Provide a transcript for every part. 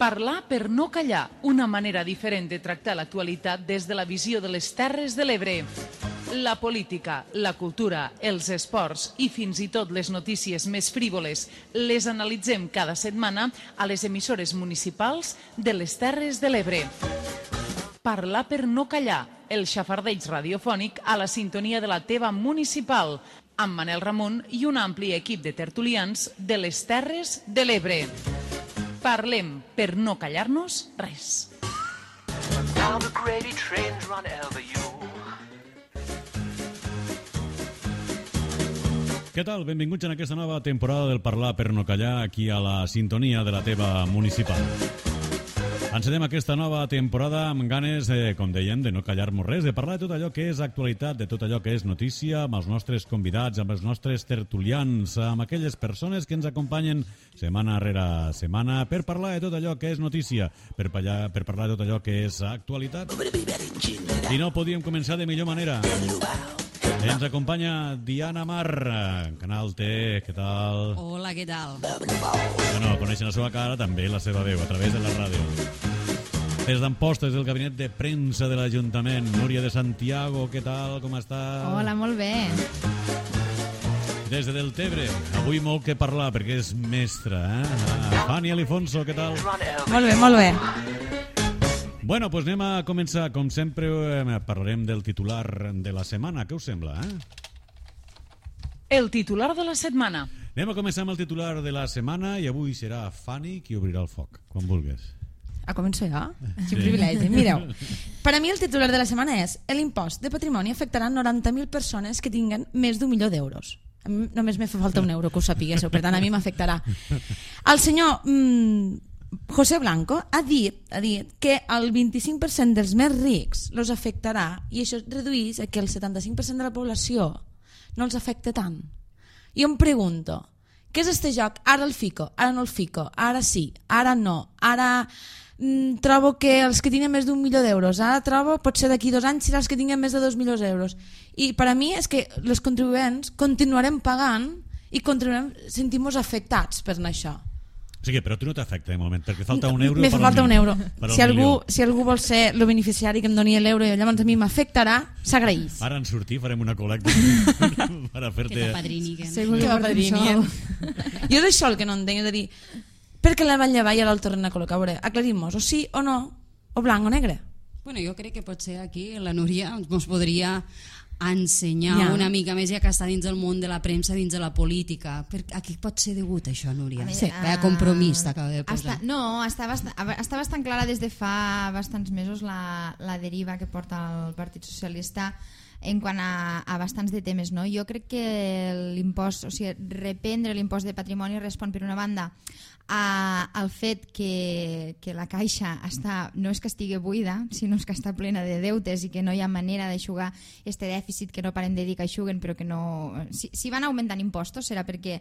Parlar per no callar, una manera diferent de tractar l'actualitat des de la visió de les Terres de l'Ebre. La política, la cultura, els esports i fins i tot les notícies més frívoles les analitzem cada setmana a les emissores municipals de les Terres de l'Ebre. Parlar per no callar, el xafardeig radiofònic a la sintonia de la teva municipal, amb Manel Ramon i un ampli equip de tertulians de les Terres de l'Ebre. Parlem per no callar-nos res. Què tal? Benvinguts en aquesta nova temporada del Parlar per no callar aquí a la sintonia de la teva municipal. Encetem aquesta nova temporada amb ganes, com dèiem, de no callar-nos res, de parlar de tot allò que és actualitat, de tot allò que és notícia, amb els nostres convidats, amb els nostres tertulians, amb aquelles persones que ens acompanyen setmana rere setmana per parlar de tot allò que és notícia, per parlar de tot allò que és actualitat. I no podíem començar de millor manera. Ens acompanya Diana Mar, Canal T, què tal? Hola, què tal? Bueno, coneixen la seva cara, també la seva veu, a través de la ràdio. Des d'Amposta, des del gabinet de premsa de l'Ajuntament, Núria de Santiago, què tal, com està? Hola, molt bé. Des de Deltebre, avui molt que parlar, perquè és mestra, Fanny Alifonso, què tal? Molt bé, molt bé. Bueno, doncs anem a començar. Com sempre, parlarem del titular de la setmana. Què us sembla, El titular de la setmana. Anem a començar amb el titular de la setmana i avui serà Fanny qui obrirà el foc, quan vulguis. Començo jo? Quin privilegi. Mireu, per a mi el titular de la setmana és: l'impost de patrimoni afectarà 90.000 persones que tinguen més d'1 milió d'euros. A mi només me fa falta un euro, que ho sapiguéssiu, per tant a mi m'afectarà. El senyor José Blanco ha dit que el 25% dels més rics els afectarà i això redueix a que el 75% de la població no els afecta tant. Jo em pregunto, què és este joc? Ara el fico, ara no el fico, ara sí, ara no, ara trobo que els que tenen més d'1 milió d'euros, ara trobo potser d'aquí 2 anys serà els que tinguen més de 2 milions d'euros. I per a mi és que els contribuents continuarem pagant i continuarem sentir-nos afectats per això. O sigui, però tu no t'afecta de moment, perquè falta un euro. Me fa falta un euro. Si algú vol ser el beneficiari que em doni l'euro i llavors a mi m'afectarà, s'agraeix. Ara en sortir farem una col·lecta per fer-te... Que t'apadriniguen. Segur que m'apadriniguen. Jo és això el que no entenc, és a dir, per què la van llevar i ara el tornen a col·locar? A veure, aclarim-nos, o sí o no, o blanc o negre? Bueno, jo crec que potser aquí la Núria ens podria ensenyar una mica més, ja que està dins del món de la premsa, dins de la política. A què pot ser degut això, Núria? Sí. Vaya compromís t'acaba de posar. Està bastant clara des de fa bastants mesos la deriva que porta el Partit Socialista en quant a bastants de temes, no? Jo crec que l'impost, o sigui, reprendre l'impost de patrimoni respon per una banda al fet que la caixa no és que estigui buida, sinó que està plena de deutes i que no hi ha manera d'aixugar este dèficit que no paren de dir que aixuguen, però que no... Si van augmentant impostos serà perquè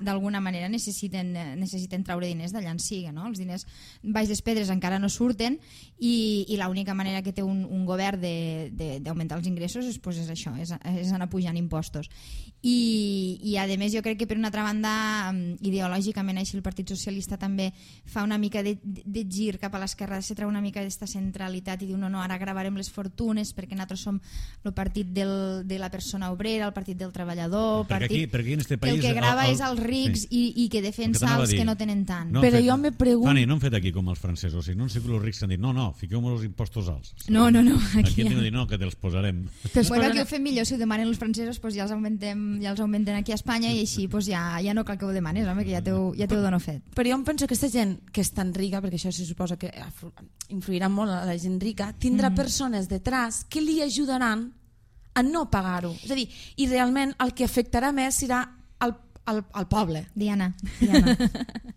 d'alguna manera necessiten traure diners d'allà en siga, no? Els diners baix les pedres encara no surten i l'única manera que té un govern d'augmentar els ingressos és això, és anar pujant impostos. I a més jo crec que per una altra banda ideològicament així el Partit Socialista també fa una mica de gir cap a l'esquerra, se treu una mica d'esta centralitat i diu no, ara gravarem les fortunes perquè nosaltres som el partit de la persona obrera, el partit del treballador, perquè aquí en este país el que grava és els rics i que defensa els que no tenen tant. Però jo me pregunto... Fanny, no hem fet aquí com els francesos, o sigui, no han sigut els rics que han dit no, fiqueu-me els impostos alts. No, aquí hem dit no, que te'ls posarem. Bueno, aquí ho fem millor, si ho demanen els francesos ja els augmentem aquí a Espanya i així ja no cal que ho demanes, home, que ja t'ho dono fet. Però jo em penso que aquesta gent que és tan rica, perquè això se suposa que influirà molt a la gent rica, tindrà persones detrás que li ajudaran a no pagar-ho. És a dir, i realment el que afectarà més serà al poble. Diana.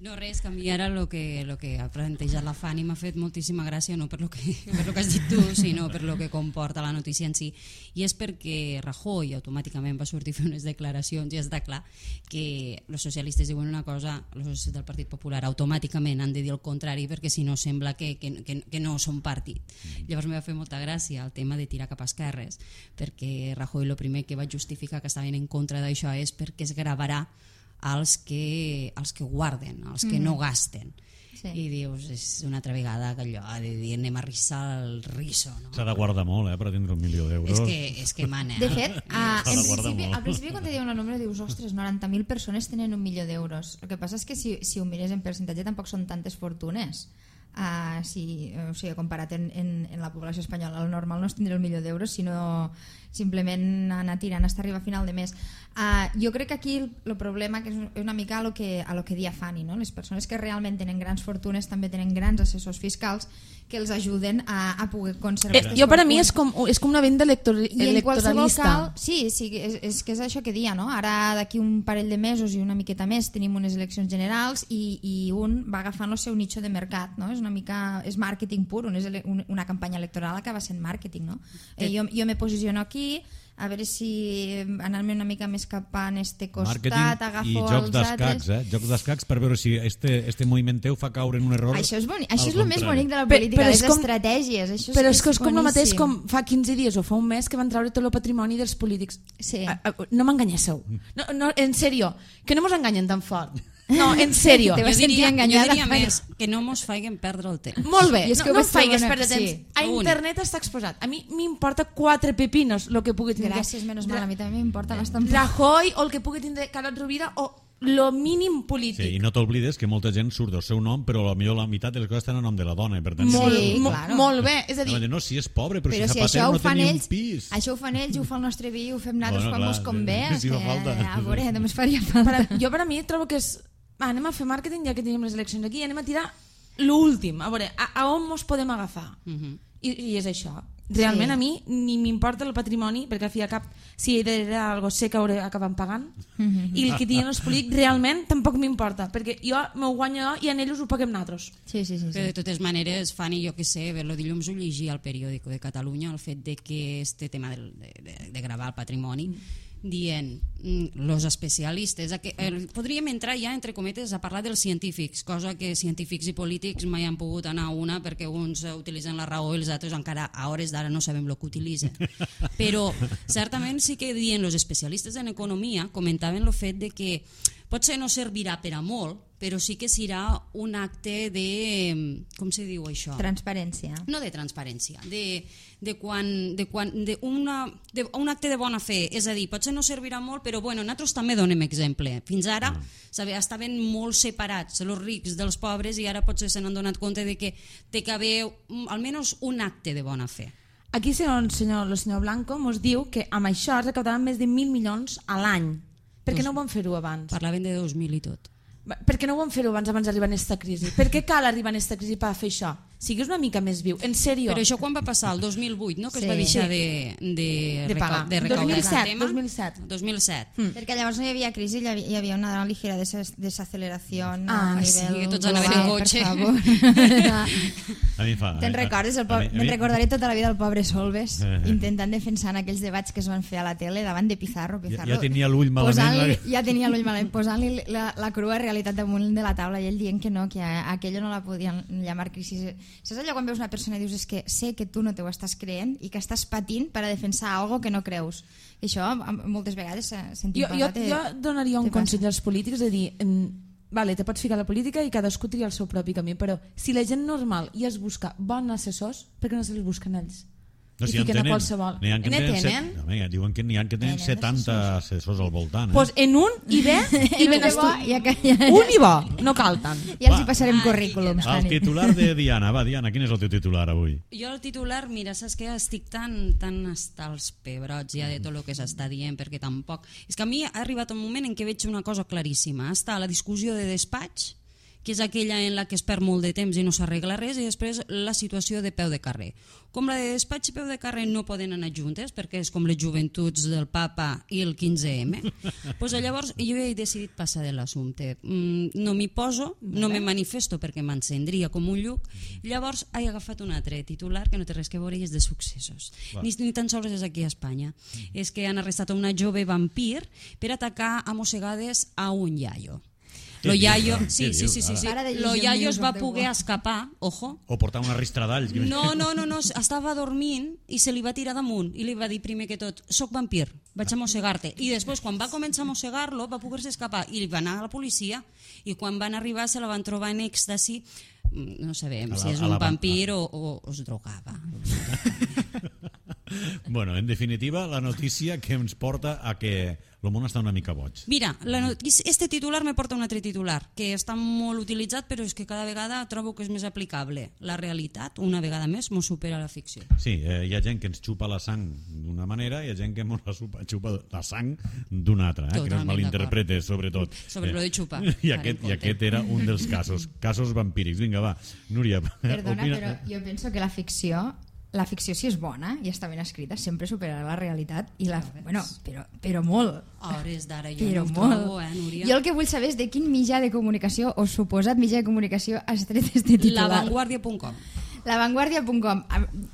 No, res, canviar el que ha plantejat la Fanny m'ha fet moltíssima gràcia, no per lo que has dit tu, sinó per lo que comporta la notícia en si, i és perquè Rajoy automàticament va sortir a fer unes declaracions i està clar que els socialistes diuen una cosa, els socialistes del Partit Popular automàticament han de dir el contrari perquè si no sembla que no són partit. Llavors m'ha fet molta gràcia el tema de tirar cap a esquerres, perquè Rajoy el primer que va justificar que estaven en contra d'això és perquè es gravarà als que guarden, als que no gasten. i dius, és una altra vegada que allò de dir anem a rissar el riso, no? S'ha de guardar molt, per tindre 1 milió d'euros. És que mana. De fet, S'ha al principi quan te diuen el número dius, ostres, 90.000 persones tenen 1 milió d'euros. El que passa és que si ho mires en percentatge tampoc són tantes fortunes. O sigui, comparat en la població espanyola, el normal no és tindre 1 milió d'euros, sinó simplement anar tirant fins a arribar a final de mes. Jo crec que aquí el problema que és una mica a lo que dia Fanny, no? Les persones que realment tenen grans fortunes també tenen grans assessors fiscals que els ajuden a poder conservar jo per a mi és com una venda electoralista. Sí, és que és això que dia, no? Ara d'aquí un parell de mesos i una miqueta més tenim unes eleccions generals i un va agafant el seu nicho de mercat, no? És una mica, és màrqueting pur, una campanya electoral acaba sent màrqueting, no? Jo me posiciono aquí, a veure si anar-me una mica més cap a este costat, agafo i jocs els altres... Jocs d'escacs per veure si este moviment teu fa caure en un error. Això és bonic, això és el més bonic de la política, les estratègies. Però és que és com el mateix com fa 15 dies o fa un mes que van treure tot el patrimoni dels polítics. Sí. No m'enganyéssiu. No, en sèrio, que no mos enganyen tan fort. No, en sèrio. Jo diria més que no mos faiguen perdre el temps. Molt bé, no faigues perdre temps. A internet està exposat. A mi m'importa 4 pepinos el que pugui tindre. Gràcies, menys mal, a mi també m'importa bastant. Rajoy o el que pugui tindre Carod Rovira o lo mínim polític. Sí, i no t'oblides que molta gent surt del seu nom, però potser la meitat de les coses estan a nom de la dona. Per tant, molt bé. És a dir, no, si és pobre, però si Zapatero no té ni un pis. Això ho fan ells, ho fa el nostre vi, ho fem nosaltres quan mos convé. Si fa falta. A veure, només faria falta. Jo per a mi trobo que és... anem a fer màrqueting ja que tenim les eleccions aquí, anem a tirar l'últim, a veure, a on mos podem agafar. I és això. Realment a mi ni m'importa el patrimoni, perquè al fi i al cap, si he d'heredar alguna cosa sé que hauré acabat pagant, i el que tinguin els polítics realment tampoc m'importa, perquè jo m'ho guanyo i en ells ho paguem nosaltres. Sí. Però de totes maneres, Fanny, jo que sé, el dilluns ho llegia al periòdico de Catalunya, el fet de que este tema de gravar el patrimoni, dient los especialistes podríem entrar ja entre cometes a parlar dels científics, cosa que científics i polítics mai han pogut anar a una perquè uns utilitzen la raó i els altres encara a hores d'ara no sabem el que utilitzen, però certament sí que dient los especialistes en economia comentaven el fet de que potser no servirà per a molt, però sí que serà un acte de... com se diu això? Transparència. No de transparència, un acte de bona fe, és a dir, potser no servirà molt, però bueno, nosaltres també donem exemple. Fins ara estaven molt separats els rics dels pobres i ara potser se n'han donat compte de que té que haver almenys un acte de bona fe. Aquí el senyor Blanco ens diu que amb això es recaptaran més de 1.000 milions a l'any. Per què no ho van fer-ho abans? Parlaven de 2.000 i tot. Per què no ho van fer-ho abans d'arribar a aquesta crisi? Per què cal arribar a aquesta crisi per fer això? Sigues una mica més viu, en sèrio. Però això quan va passar? El 2008, no? Que es va deixar de pagar. De recaudar 2007. Perquè llavors no hi havia crisi, hi havia una ligera desaceleració a nivell... Sí, que tots anaven en cotxe. A mi fa... Te'n recordes? Me'n recordaré tota la vida el pobre Solves intentant defensar aquells debats que es van fer a la tele davant de Pizarro. Ja tenia l'ull malament. Ja tenia l'ull malament, posant-li la crua realitat damunt de la taula i ell dient que no, que aquello no la podien llamar crisi. Saps allò quan veus una persona i dius és que sé que tu no t'ho estàs creent i que estàs patint per a defensar algo que no creus? I això moltes vegades sentim parlar. Jo donaria un consell als polítics de dir vale, te pots ficar a la política i cadascú tria el seu propi camí, però si la gent normal ja es busca bons assessors, per què no se'ls busquen ells? No, i fiquen a qualsevol. Diuen que n'hi ha que tenen 70 assessors al voltant. Doncs en un i bé i ben estudiat. Un i bo, no cal tant. Ja els hi passarem currículums. El titular de Diana. Va, Diana, quin és el teu titular avui? Jo el titular, mira, saps que estic tan hasta els pebrots ja de tot el que s'està dient, perquè tampoc... És que a mi ha arribat un moment en què veig una cosa claríssima. Està la discussió de despatx, que és aquella en la que es perd molt de temps i no s'arregla res, i després la situació de peu de carrer. Com la de despatx i peu de carrer no poden anar juntes, perquè és com les joventuts del papa i el 15M, doncs llavors jo he decidit passar de l'assumpte. No m'hi poso, no me manifesto perquè m'encendria com un lluc, llavors he agafat un altre titular que no té res que veure i és de successos. Ni tan sols és aquí a Espanya. És que han arrestat una jove vampir per atacar a mossegades a un iaio. Lo iaio, Què dius? Para de llegir Lo el iaio News es of va the poder World. escapar, ojo. O portar una ristra d'alls. No, estava dormint i se li va tirar damunt i li va dir primer que tot, soc vampir, vaig a mossegar-te. I després, quan va començar a mossegar-lo, va poder-se escapar i va anar a la policia i quan van arribar se la van trobar en èxtasi. No sabem si és un vampir o es drogava. Bueno, en definitiva, la notícia que ens porta a que el món està una mica boig. Mira, este titular me porta un altre titular, que està molt utilitzat, però és que cada vegada trobo que és més aplicable. La realitat, una vegada més, mos supera la ficció. Sí, hi ha gent que ens xupa la sang d'una manera i hi ha gent que ens xupa la sang d'una altra, que no es malinterprete, sobretot. Sobre lo de xupar. I aquest era un dels casos vampírics. Vinga, va, Núria. Perdona, però jo penso que la ficció, si és bona i està ben escrita, sempre superarà la realitat i bueno, però molt. A hores d'ara jo Però no ho molt. trobo, Núria. Jo el que vull saber és de quin mitjà de comunicació o suposat mitjà de comunicació has tret este titular. Lavanguardia.com. Lavanguardia.com.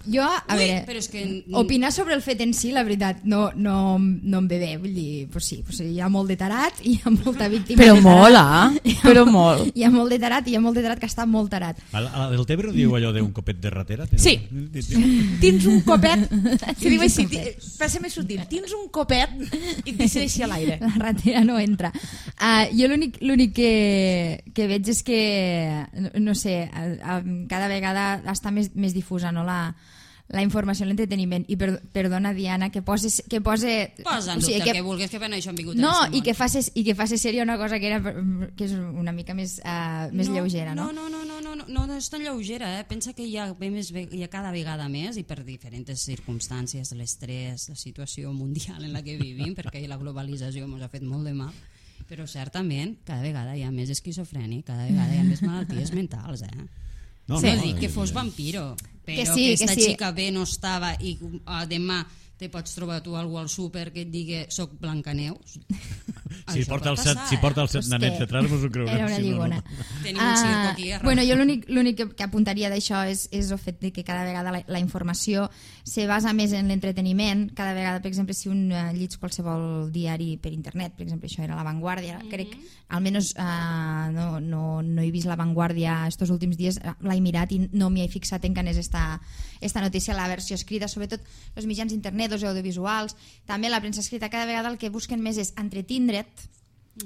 Jo, a veure, però és que... opinar sobre el fet en si, la veritat, no em ve bé. Vull dir, pues sí, hi ha molt de tarat, hi ha molta víctima Però de molt, tarat. però molt. Hi ha molt de tarat i hi ha molt de tarat que està molt tarat. A la del Tebre diu allò d'un copet de ratera? Sí. Tens un copet, si diu així, per ser més sutil, tens un copet i et deixa així a l'aire. La ratera no entra. Jo l'únic que veig és que, no sé, cada vegada està més difusa, no, la informació i l'entreteniment. I perdona, Diana, que pose... Posa en dubte el que vulguis, que per això han vingut no, a i que faci sèria una cosa que és una mica més lleugera, no? No és tan lleugera, pensa que hi ha cada vegada més i per diferents circumstàncies, l'estrès, la situació mundial en la que vivim, perquè la globalització ens ha fet molt de mal, però certament cada vegada hi ha més esquizofrènia, cada vegada hi ha més malalties mentals, No, no dic que fos vampiro, però que esta xica bé no estava i demà te pots trobar tu algú al súper que et digui soc Blancaneus. Si porta els set nanets detrás, mos ho creurem. Era una lligona. Tenim un circo aquí. Bueno, jo l'únic que apuntaria d'això és el fet de que cada vegada la informació se basa més en l'entreteniment. Cada vegada, per exemple, si un llits qualsevol diari per internet, per exemple, això era La Vanguardia, crec, almenys no he vist La Vanguardia estos últims dies, l'he mirat i no m'hi he fixat en què anés esta notícia, la versió escrita, sobretot els mitjans d'internet, els audiovisuals, també la premsa escrita, cada vegada el que busquen més és entretindre't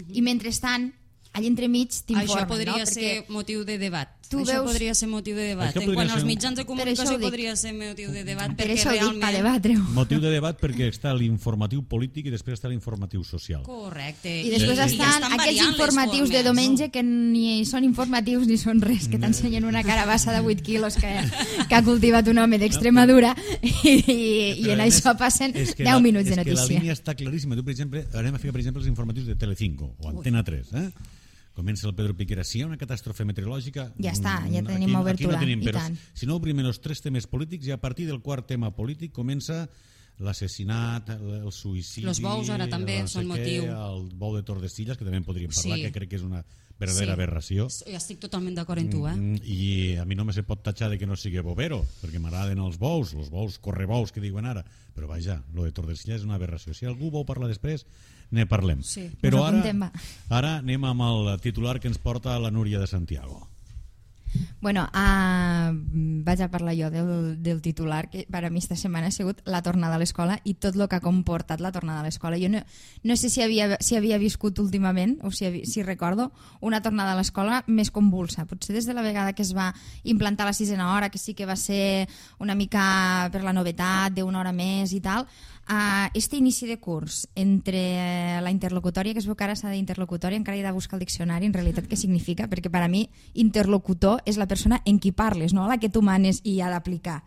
i mentrestant allà entremig t'informen. Això podria ser motiu de debat. Això podria ser motiu de debat. En quant als mitjans de comunicació podria ser motiu de debat. Per això ho dic, per debatre-ho. Motiu de debat perquè està l'informatiu polític i després està l'informatiu social. Correcte. I després estan aquells informatius de diumenge que ni són informatius ni són res, que t'ensenyen una carabassa de 8 quilos que ha cultivat un home d'Extremadura i en això passen 10 minuts de notícia. És que la línia està claríssima. Tu, per exemple, anem a ficar per exemple els informatius de Telecinco o Antena 3, Comença el Pedro Piquera. Si hi ha una catàstrofe meteorològica... Ja està, ja tenim obertura, no tenim, i tant. Si no obrim els 3 temes polítics i a partir del quart tema polític comença l'assassinat, el suïcidi... Els bous ara també són motiu. El bou de Tordesillas, que també en podríem parlar, que crec que és una verdadera aberració. Jo estic totalment d'acord amb tu, I a mi no me se pot tatxar de que no sigui bovero, perquè m'agraden els bous correbous que diuen ara, però vaja, lo de Tordesillas és una aberració. Si algú vol parlar després, ne parlem. Sí. Però ara anem amb el titular que ens porta la Núria de Santiago. Bueno, vaig a parlar jo del titular, que per a mi esta setmana ha sigut la tornada a l'escola i tot el que ha comportat la tornada a l'escola. Jo no sé si havia viscut últimament, o si recordo, una tornada a l'escola més convulsa. Potser des de la vegada que es va implantar la 6a hora, que sí que va ser una mica per la novetat d'una hora més i tal, este inici de curs entre la interlocutòria, que es veu que ara s'ha d'interlocutòria, encara he de buscar el diccionari en realitat què significa, perquè per a mi interlocutor és la persona en qui parles, no la que tu manes i ha d'aplicar.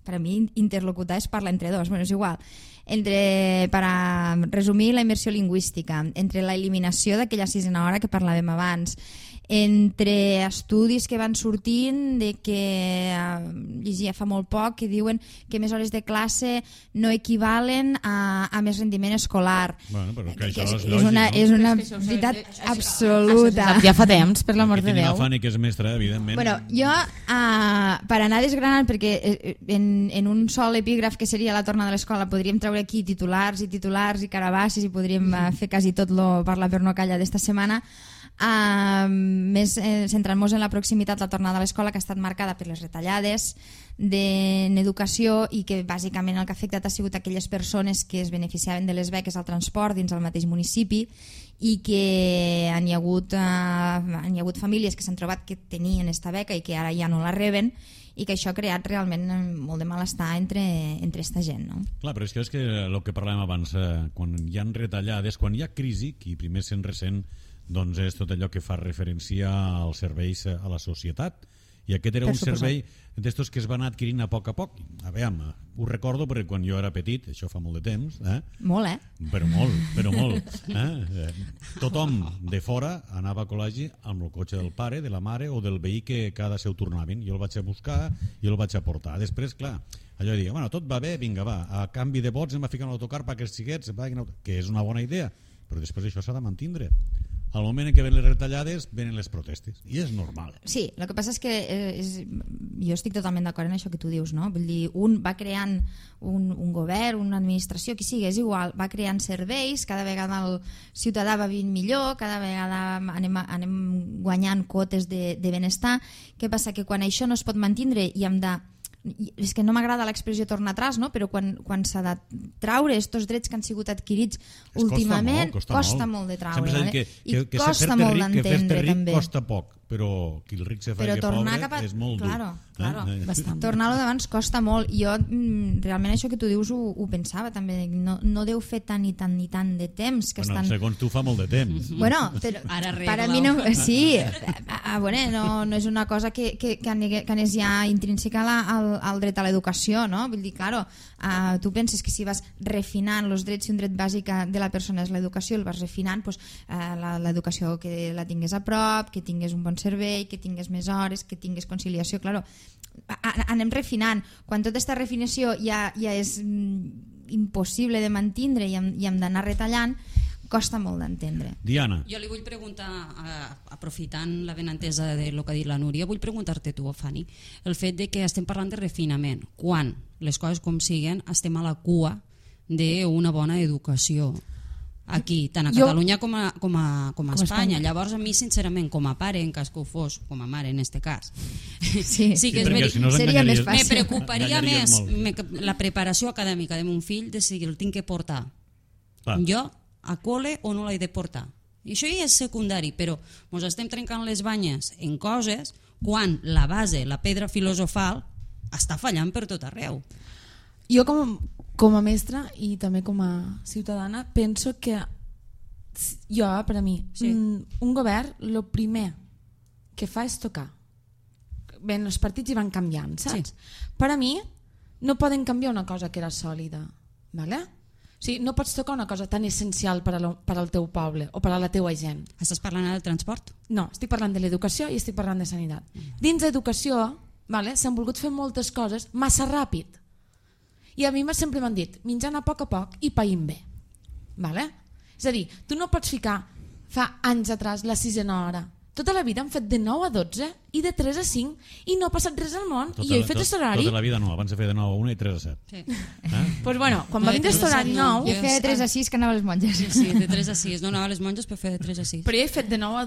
Per a mi interlocutar és parlar entre dos, bueno, és igual. Per a resumir, la immersió lingüística, entre la eliminació d'aquella 6a hora que parlàvem abans, entre estudis que van sortint de que llegia fa molt poc que diuen que més hores de classe no equivalen a més rendiment escolar. Bueno, però que això és lògic, és una veritat absoluta. Ja fa temps, per l'amor de Déu. Aquí tenim Déu. la Fanny, que és mestra, evidentment. Bueno, jo, per anar desgranant, perquè en un sol epígraf que seria la torna de l'escola podríem treure aquí titulars i carabassis i podríem fer quasi tot lo parlar per no callar d'esta setmana, més centrant-nos en la proximitat, la tornada a l'escola, que ha estat marcada per les retallades en educació i que bàsicament el que ha afectat ha sigut aquelles persones que es beneficiaven de les beques al transport dins el mateix municipi i que hi ha hagut famílies que s'han trobat que tenien esta beca i que ara ja no la reben i que això ha creat realment molt de malestar entre esta gent, no? Clar, però és que el que parlàvem abans, quan hi ha retallades, quan hi ha crisi, qui primer se'n ressent doncs és tot allò que fa referència als serveis a la societat. I aquest era un servei d'estos que es van adquirint a poc. A veure, ho recordo perquè quan jo era petit, això fa molt de temps, Molt, Però molt. Tothom de fora anava a col·legi amb el cotxe del pare, de la mare o del veí que cada seu tornaven. Jo el vaig a buscar i el vaig a portar. Després, clar, allò de dir, bueno, tot va bé, vinga, va, a canvi de vots em va ficar en l'autocar perquè els xiquets, que és una bona idea, però després això s'ha de mantindre. Al moment en què ven les retallades, venen les protestes. I és normal. Sí, el que passa és que jo estic totalment d'acord en això que tu dius, no? Vull dir, un va creant un govern, una administració, qui sigui, és igual, va creant serveis, cada vegada el ciutadà va vivint millor, cada vegada anem guanyant quotes de benestar. Què passa? Que quan això no es pot mantindre i hem de... és que no m'agrada l'expressió tornar atrás, no? Però quan s'ha de traure estos drets que han sigut adquirits últimament, costa molt de traure, vale? I costa molt d'entendre també. Costa poc, però qui el ric se fa que pobre és molt dur. Claro. Tornar-lo d'abans costa molt. Jo realment això que tu dius ho pensava també, no deu fer tant i tant de temps que estan... Segons tu fa molt de temps. Bueno, però per a mi no... Sí, no és una cosa que anés ja intrínseca al dret a l'educació, no? Vull dir, claro, tu penses que si vas refinant els drets, si un dret bàsic de la persona és l'educació, el vas refinant, l'educació que la tingués a prop, que tingués un bon servei, que tingués més hores, que tingués conciliació, claro, anem refinant. Quan tota aquesta refinació ja és impossible de mantindre i hem d'anar retallant, costa molt d'entendre. Diana. Jo li vull preguntar, aprofitant la benentesa del que ha dit la Núria, vull preguntar-te tu, Fanny, el fet de que estem parlant de refinament, quan les coses com siguen estem a la cua d'una bona educació aquí, tant a Catalunya com a Espanya. Llavors a mi sincerament com a pare, en cas que ho fos com a mare en este cas, sí que seria més fàcil. Me preocuparia més la preparació acadèmica de mon fill de si el tinc que portar jo a col·le o no l'he de portar. I això ja és secundari, però ens estem trencant les banyes en coses quan la base, la pedra filosofal està fallant per tot arreu. Jo com a mestra i també com a ciutadana penso que per a mi un govern el primer que fa és tocar. Bé, els partits hi van canviant, saps? Per a mi no poden canviar una cosa que era sòlida, ¿vale? O sigui, no pots tocar una cosa tan essencial per al teu poble o per a la teua gent. Estàs parlant del transport? No, estic parlant de l'educació i estic parlant de sanitat. Dins d'educació s'han volgut fer moltes coses massa ràpid. I a mi sempre m'han dit, menjant a poc i païm bé. És a dir, tu no pots ficar fa anys atrás la 6a hora. Tota la vida han fet de 9 a 12 i de 3 a 5 i no ha passat res al món. I jo he fet aquest horari. Tota la vida no, abans de fer de 9 a 1 i 3 a 7. Sí. Pues bueno, quan va vindre aquest horari nou... Jo feia de 3 a 6 que anava a les monges. Sí, de 3 a 6. No anava a les monges per fer de 3 a 6. Però jo he fet de 9 a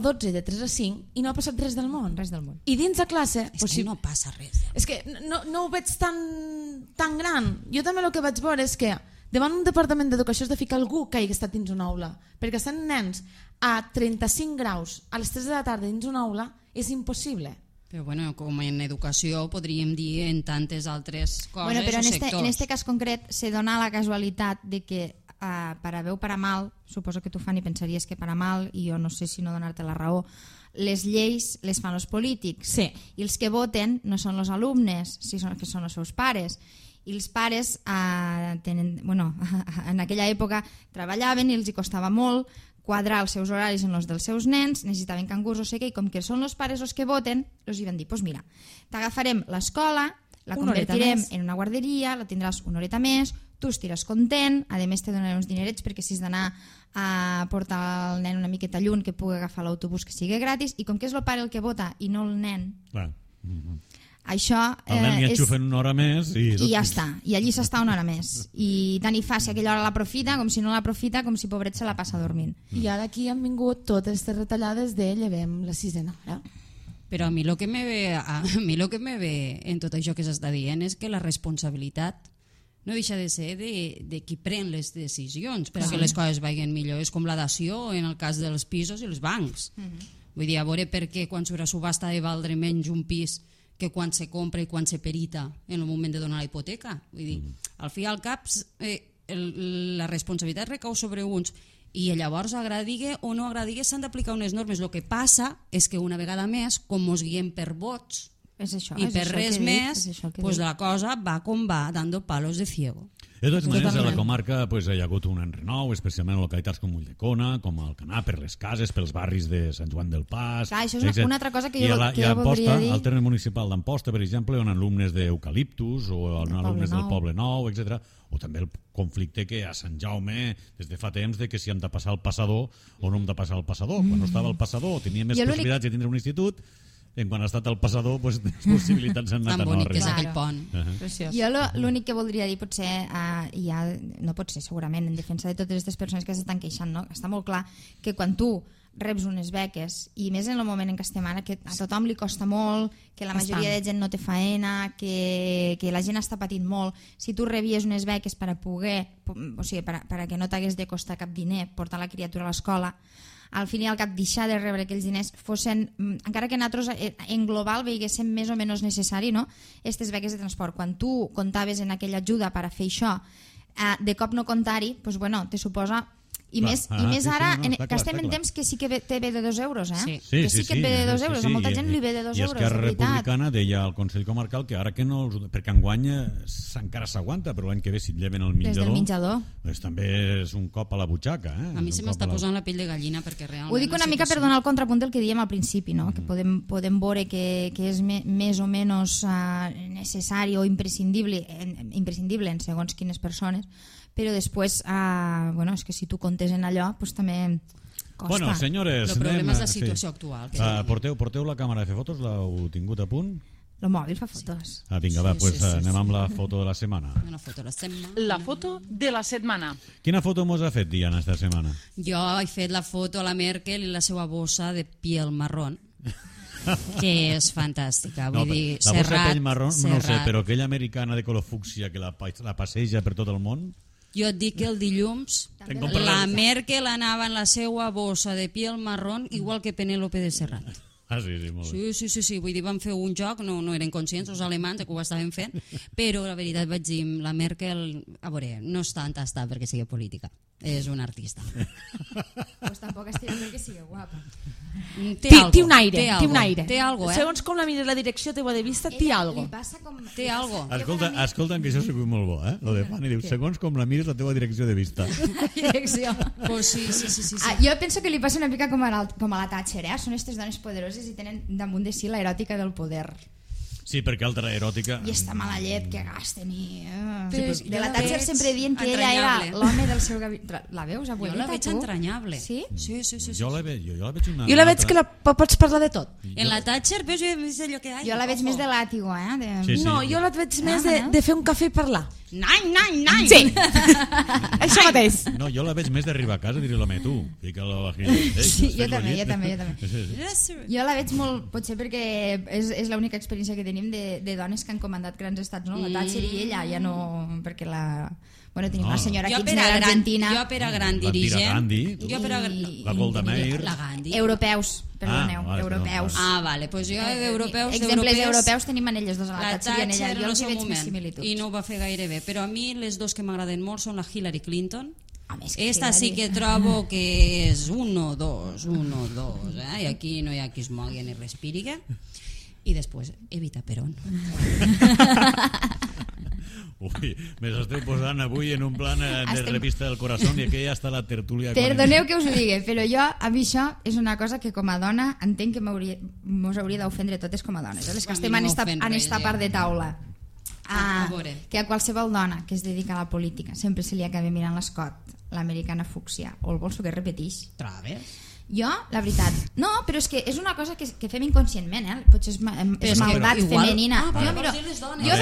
12 i de 3 a 5 i no ha passat res del món. Res del món. I dins de classe... És que no passa res. És que no ho veig tan gran. Jo també el que vaig veure és que davant un departament d'educació has de ficar algú que hagi estat dins una aula, perquè estan nens a 35 graus a les 3 de la tarda dins una aula és impossible. Però bueno, com en educació podríem dir en tantes altres coses però o sectors. En este cas concret se dona la casualitat de que para bé o para mal, suposo que tu, Fanny, pensaries que para mal, i jo no sé si no donar-te la raó, les lleis les fan els polítics, sí. I els que voten no són els alumnes, que són els seus pares. I els pares en aquella època treballaven i els hi costava molt quadrar els seus horaris en els dels seus nens, necessitaven cangurs o sé què, i com que són els pares els que voten, els hi van dir, doncs mira, t'agafarem l'escola, la convertirem en una guarderia, la tindràs una horeta més, tu estiràs content, a més te donaré uns dinerets perquè si has d'anar a portar el nen una miqueta lluny que pugui agafar l'autobús que sigui gratis, i com que és el pare el que vota i no el nen, això el nen hi enxufen una hora més i ja està, i allí s'està una hora més, i tant hi fa si aquella hora l'aprofita com si no l'aprofita, com si pobret se la passa dormint. I ara aquí han vingut totes aquestes retallades de llevem la sisena hora. Però a mi el que me ve en tot això que s'està dient és que la responsabilitat no deixa de ser de qui pren les decisions perquè les coses vagin millor. És com la dació en el cas dels pisos i els bancs. Vull dir, a veure per què quan surt a subhasta de valdre menys un pis que quan se compra i quan se perita en el moment de donar la hipoteca. Vull dir, al fi i al cap la responsabilitat recau sobre uns i llavors agradigue o no agradigue s'han d'aplicar unes normes. El que passa és que una vegada més, com ens guiem per vots i per res més, pues la cosa va com va, dando palos de ciego. De totes maneres, a la comarca hi ha hagut un enrenou, especialment en localitats com Ulldecona, com Alcanar, per les cases, pels barris de Sant Joan del Pas... Clar, això és una altra cosa que jo voldria dir. Al terme municipal d'Amposta, per exemple, on alumnes d'Eucaliptus o alumnes del Poble Nou, etc. O també el conflicte que a Sant Jaume, des de fa temps, de que si hem de passar el passador o no hem de passar el passador. Quan no estava el passador tenia més possibilitats de tindre un institut, quan ha estat el passador, les possibilitats han anat a no arribar. Tan bonic que és aquell pont. Jo l'únic que voldria dir, potser, no pot ser segurament, en defensa de totes aquestes persones que s'estan queixant, no? Està molt clar que quan tu reps unes beques, i més en el moment en què estem ara, que a tothom li costa molt, que la majoria de gent no té faena, que la gent està patint molt, si tu rebies unes beques per a poder, o sigui, per a que no t'hagués de costar cap diner portar la criatura a l'escola, al fin i al cap deixar de rebre aquells diners fossin, encara que nosaltres en global veiguéssim més o menys necessari, no? Aquestes beques de transport. Quan tu comptaves en aquella ajuda per a fer això, de cop no comptar-hi, doncs, bueno, te suposa... I més ara, que estem en temps que sí que té bé de 2 euros, eh? Que sí que ve de 2 euros, a molta gent li ve de 2 euros, de veritat. I Esquerra Republicana deia al Consell Comarcal que ara que no... Perquè enguany encara s'aguanta, però l'any que ve si et lleven el menjador... Des del menjador. Doncs també és un cop a la butxaca, eh? A mi se m'està posant la pell de gallina perquè realment... Ho dic una mica per donar el contrapunt del que dèiem al principi, no? Que podem veure que és més o menys necessari o imprescindible en segons quines persones, però després, és que si tu comptes en allò, doncs també costa. Bueno, senyores... El problema és la situació actual. Porteu la càmera de fer fotos? L'heu tingut a punt? El mòbil fa fotos. Vinga, va, anem amb la foto de la setmana. La foto de la setmana. Quina foto mos ha fet, Diana, esta setmana? Jo he fet la foto a la Merkel i la seva bossa de piel marrón, que és fantàstica. Vull dir, la bossa de pell marrón, no sé, però aquella americana de color fúcsia que la passeja per tot el món... Jo et dic que el dilluns la Merkel anava en la seva bossa de piel marrón igual que Penélope de Serrat. Sí, molt bé. Sí, vull dir, van fer un joc, no eren conscients els alemans que ho estaven fent, però la veritat vaig dir, la Merkel, a veure, no és tant està perquè sigui política, és un artista. Pues tampoc estirà perquè sigui guapa. Té un aire. Té algo, eh? Segons com la mires la direcció teva de vista, té algo. Té algo. Escolta, que això és molt bo, eh? Lo de Fanny diu, segons com la mires la teva direcció de vista. Direcció. Pues sí. Jo penso que li passa una mica com a la Thatcher, eh? Són aquestes dones poderoses i tenen damunt de si la eròtica del poder. Sí, perquè altra eròtica... I esta mala llet que gasten i... de la la Thatcher veig sempre dient que ella era l'home del seu gabinet. La veus, abuelita, jo la veig entranyable. Sí? Sí. Jo la veig una... Jo la veig que pots parlar de tot. En la Thatcher veus allò que... Jo la veig més de làtigo, eh? No, jo la veig més de fer un cafè i parlar. Nine! Sí, això mateix. No, jo la veig més d'arribar a casa i dir-li l'home, tu, fica la vagina. Sí, jo també. Jo la veig molt, potser perquè és l'única experiència que tenim de dones que han comandat grans estats, no? La Thatcher i ella, ja no... perquè la... Bueno, tenim una senyora Kirchner d'Argentina. Jo per a gran dirigent... La Golda Meir... La Gandhi. Europeus, perdoneu, europeus. Vale, doncs jo europeus... Exemples europeus tenim en elles dos, a la Thatcher i en ella. Jo els hi veig més similituds. I no ho va fer gaire bé, però a mi les dos que m'agraden molt són la Hillary Clinton. Esta Hillary. sí que trobo que és 1-2, i aquí no hi ha qui es mogui ni respiri. I després, Evita Perón. Ui, me l'esteu posant avui en un plan de revista del corazón i aquí ja està la tertúlia. Perdoneu que us ho digui, però a mi això és una cosa que com a dona entenc que mos hauria d'ofendre totes com a dones, les que estem en esta part de taula. Que a qualsevol dona que es dedica a la política sempre se li acaba mirant l'escot, l'americana fúcsia o el bolso que repeteix. Trobes? Jo, la veritat, no, però és que és una cosa que fem inconscientment, potser és maldat femenina. Jo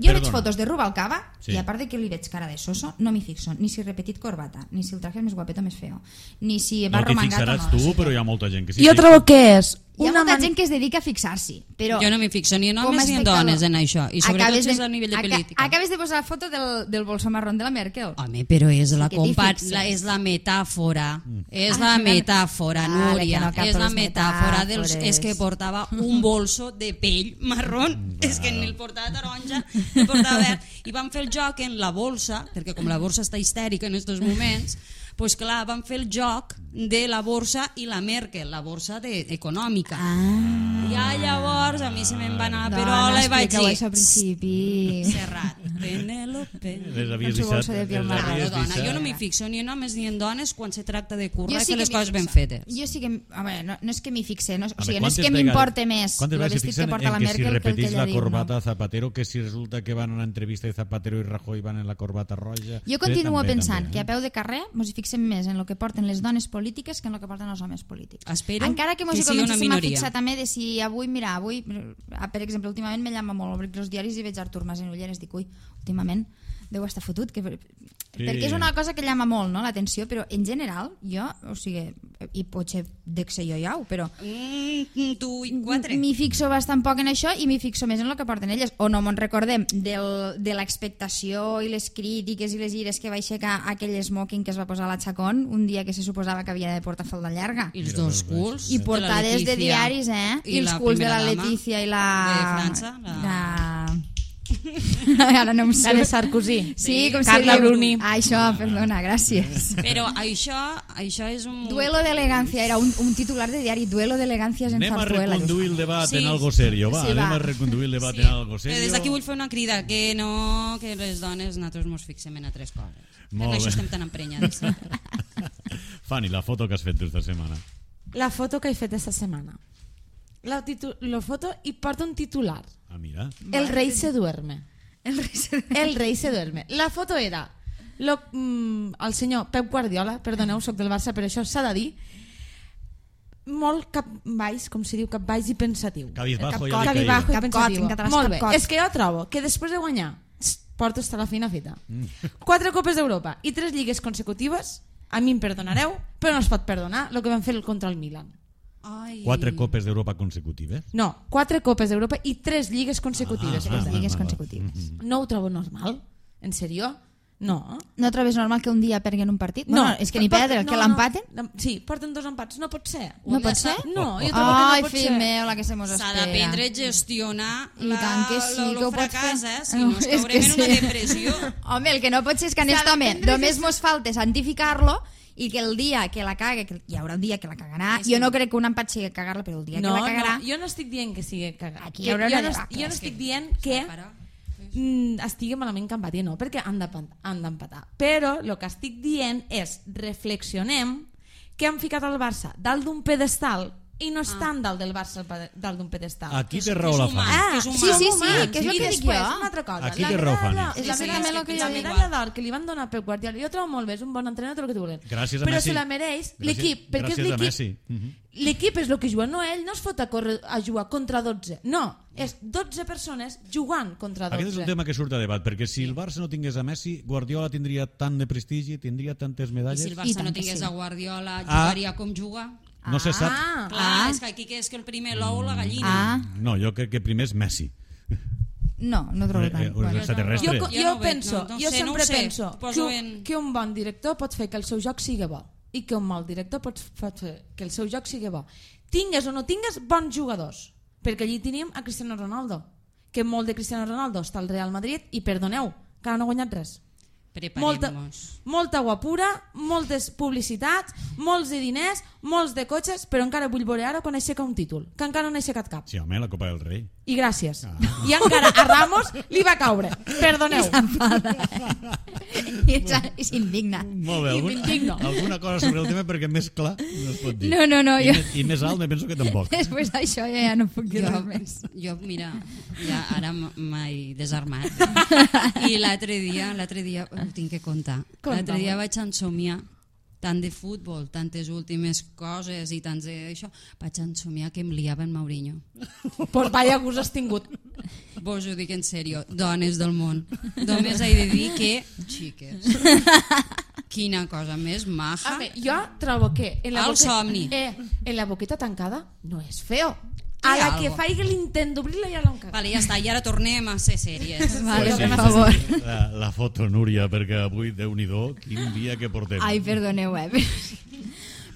veig fotos de Rubalcaba i a part de que li veig cara de soso, no m'hi fixo ni si he repetit corbata, ni si el traje és més guapet o més feo, ni si va romangat o no. No t'hi fixaràs tu, però hi ha molta gent que sí. Jo trobo que és hi ha molta gent que es dedica a fixar-s'hi, però jo no m'hi fixo ni en homes ni en dones en això, i sobretot si és a nivell de política. Acabes de posar la foto del bolso marrón de la Merkel. Home, però és la metàfora, és la metàfora, Núria, és la metàfora dels... És que portava un bolso de pell marrón, és que ni el portava taronja, ni el portava verd, i van fer el joc en la bolsa, perquè com la borsa està histèrica en aquests moments, pues clar, van fer el joc de la borsa i la Merkel, la borsa econòmica. Ja llavors a mi se me'n va anar la perola i vaig dir... Això al principi... Serrat, Penélope... Dona, jo no m'hi fixo ni en homes ni en dones quan se tracta de currar i fer les coses ben fetes. Jo sí que... No és que m'hi fixe, no és que m'importe més el vestit que porta la Merkel que el que ella diu. Si repetís la corbata a Zapatero, que si resulta que van a una entrevista de Zapatero i Rajoy van en la corbata roja... Jo continuo pensant que a peu de carrer mos hi fixem més en el que porten les dones polítiques que en el que porten els homes polítics. Espero encara que mos hi sigui una comencéssim a minoria. fixar també de si avui, per exemple, últimament me llama molt, obrir els diaris i veig Artur Mas en ulleres, dic, ui, últimament deu estar fotut, perquè és una cosa que llama molt, no?, l'atenció, però en general jo, o sigui, i potser dec ser jo iau, però tu i quatre m'hi fixo bastant poc en això i m'hi fixo més en el que porten elles, o no me'n recordem de l'expectació i les crítiques i les ires que va aixecar aquell smoking que es va posar a la Chacón un dia que se suposava que havia de portar falda llarga i els dos culs i portades de diaris, i els culs de la Letícia i la... de França, ara no em sé. La de Sarkozy. Sí, com Carla Bruni. Això, perdona, gràcies. Però això és un... Duelo d'elegància, era un titular de diari, duelo d'elegàncies en Zarzuela. Anem a reconduir el debat en algo serio, va, anem a reconduir el debat en algo serio. Des d'aquí vull fer una crida, que no, que les dones nosaltres mos fixem en altres coses. Molt això estem tan emprenyades. Fanny, la foto que has fet tu esta setmana. La foto que he fet esta setmana. La foto i porta un titular. Ah, mira. El rei se duerme. El rei se duerme. La foto era el senyor Pep Guardiola, perdoneu, soc del Barça, però això s'ha de dir, molt capbaix, com se diu, capbaix i pensatiu. Cabizbajo i pensatiu. Molt bé, és que jo trobo que després de guanyar porto hasta la feina feta 4 copes d'Europa i 3 lligues consecutives, a mi em perdonareu, però no es pot perdonar el que van fer contra el Milan. 4 copes d'Europa consecutives? No, 4 copes d'Europa i 3 lligues consecutives. Lligues consecutives. No ho trobo normal? En sèrio? No. No trobes normal que un dia perdin un partit? No, és que ni perdre, que l'empaten? Sí, porten 2 empats, no pot ser. No pot ser? No, jo trobo que no pot ser. Ai, fill meu, la que se mos espera. S'ha d'aprendre a gestionar I tant que sí, que ho pot fracàs, fer. Si no, es caurem en una depressió. Home, el que no pot ser és que en aquest home només mos falta santificar-lo i que el dia que la caga, que hi haurà un dia que la cagarà, jo no crec que un empat sigui cagar-la, però el dia que la cagarà... No, jo no estic dient que sigui cagar. Jo no estic dient que estigui malament que empati, no, perquè han d'empatar. Però el que estic dient és reflexionem que han ficat el Barça dalt d'un pedestal i no estan dalt del Barça dalt d'un pedestal. Aquí té raó la Fanny. Sí, que és el que dic jo. Una altra cosa. Aquí té raó Fanny. La medalla d'or que li van donar a Pep Guardiola, jo trobo molt bé, és un bon entrenador, tot el que tu volen. Gràcies a però Messi. se la mereix l'equip, perquè és l'equip. L'equip és el que juga, no ell no es fot a jugar contra 12. No, és 12 persones jugant contra 12. Aquest és un tema que surt a debat, perquè si el Barça no tingués a Messi, Guardiola tindria tant de prestigi, tindria tantes medalles. I si el Barça no tingués a Guardiola, jugaria com juga? No se sap. Clar, és que aquí és que el primer l'ou o la gallina. No, jo crec que primer és Messi. No trobo tant. Un extraterrestre. Jo sempre penso que un bon director pot fer que el seu joc sigui bo i que un mal director pot fer que el seu joc sigui bo. Tingues o no tingues bons jugadors, perquè allí tenim a Cristiano Ronaldo, que molt de Cristiano Ronaldo està al Real Madrid i perdoneu, que no ha guanyat res. molta guapura, moltes publicitats, molts de diners, molts de cotxes, però encara vull veure ara quan aixeca un títol, que encara no ha aixecat cap. Sí, home, la Copa del Rei. I gràcies. I encara a Ramos li va caure. Perdoneu. I s'indigna. Molt bé, alguna cosa sobre el tema perquè més clar no es pot dir. No. I més alt me penso que tampoc. Després d'això ja no puc dir res més. Jo, mira, ja ara m'he desarmat. I l'altre dia ho tinc que contar. L'altre dia vaig ensomiar tant de futbol, tantes últimes coses i tants d'això, vaig ensomiar que em liava en Mourinho. Pues vaya gust has tingut. Vos ho dic en sèrio, dones del món. Només he de dir que, xiques, quina cosa més maja. Jo trobo que en la boqueta tancada no és feo. A la que faigui l'intent d'obrir-la ja l'han cagat. Vale, ja està, i ara tornem a ser sèries. Vale, per favor. La foto, Núria, perquè avui, Déu-n'hi-do, quin dia que portem. Ai, perdoneu,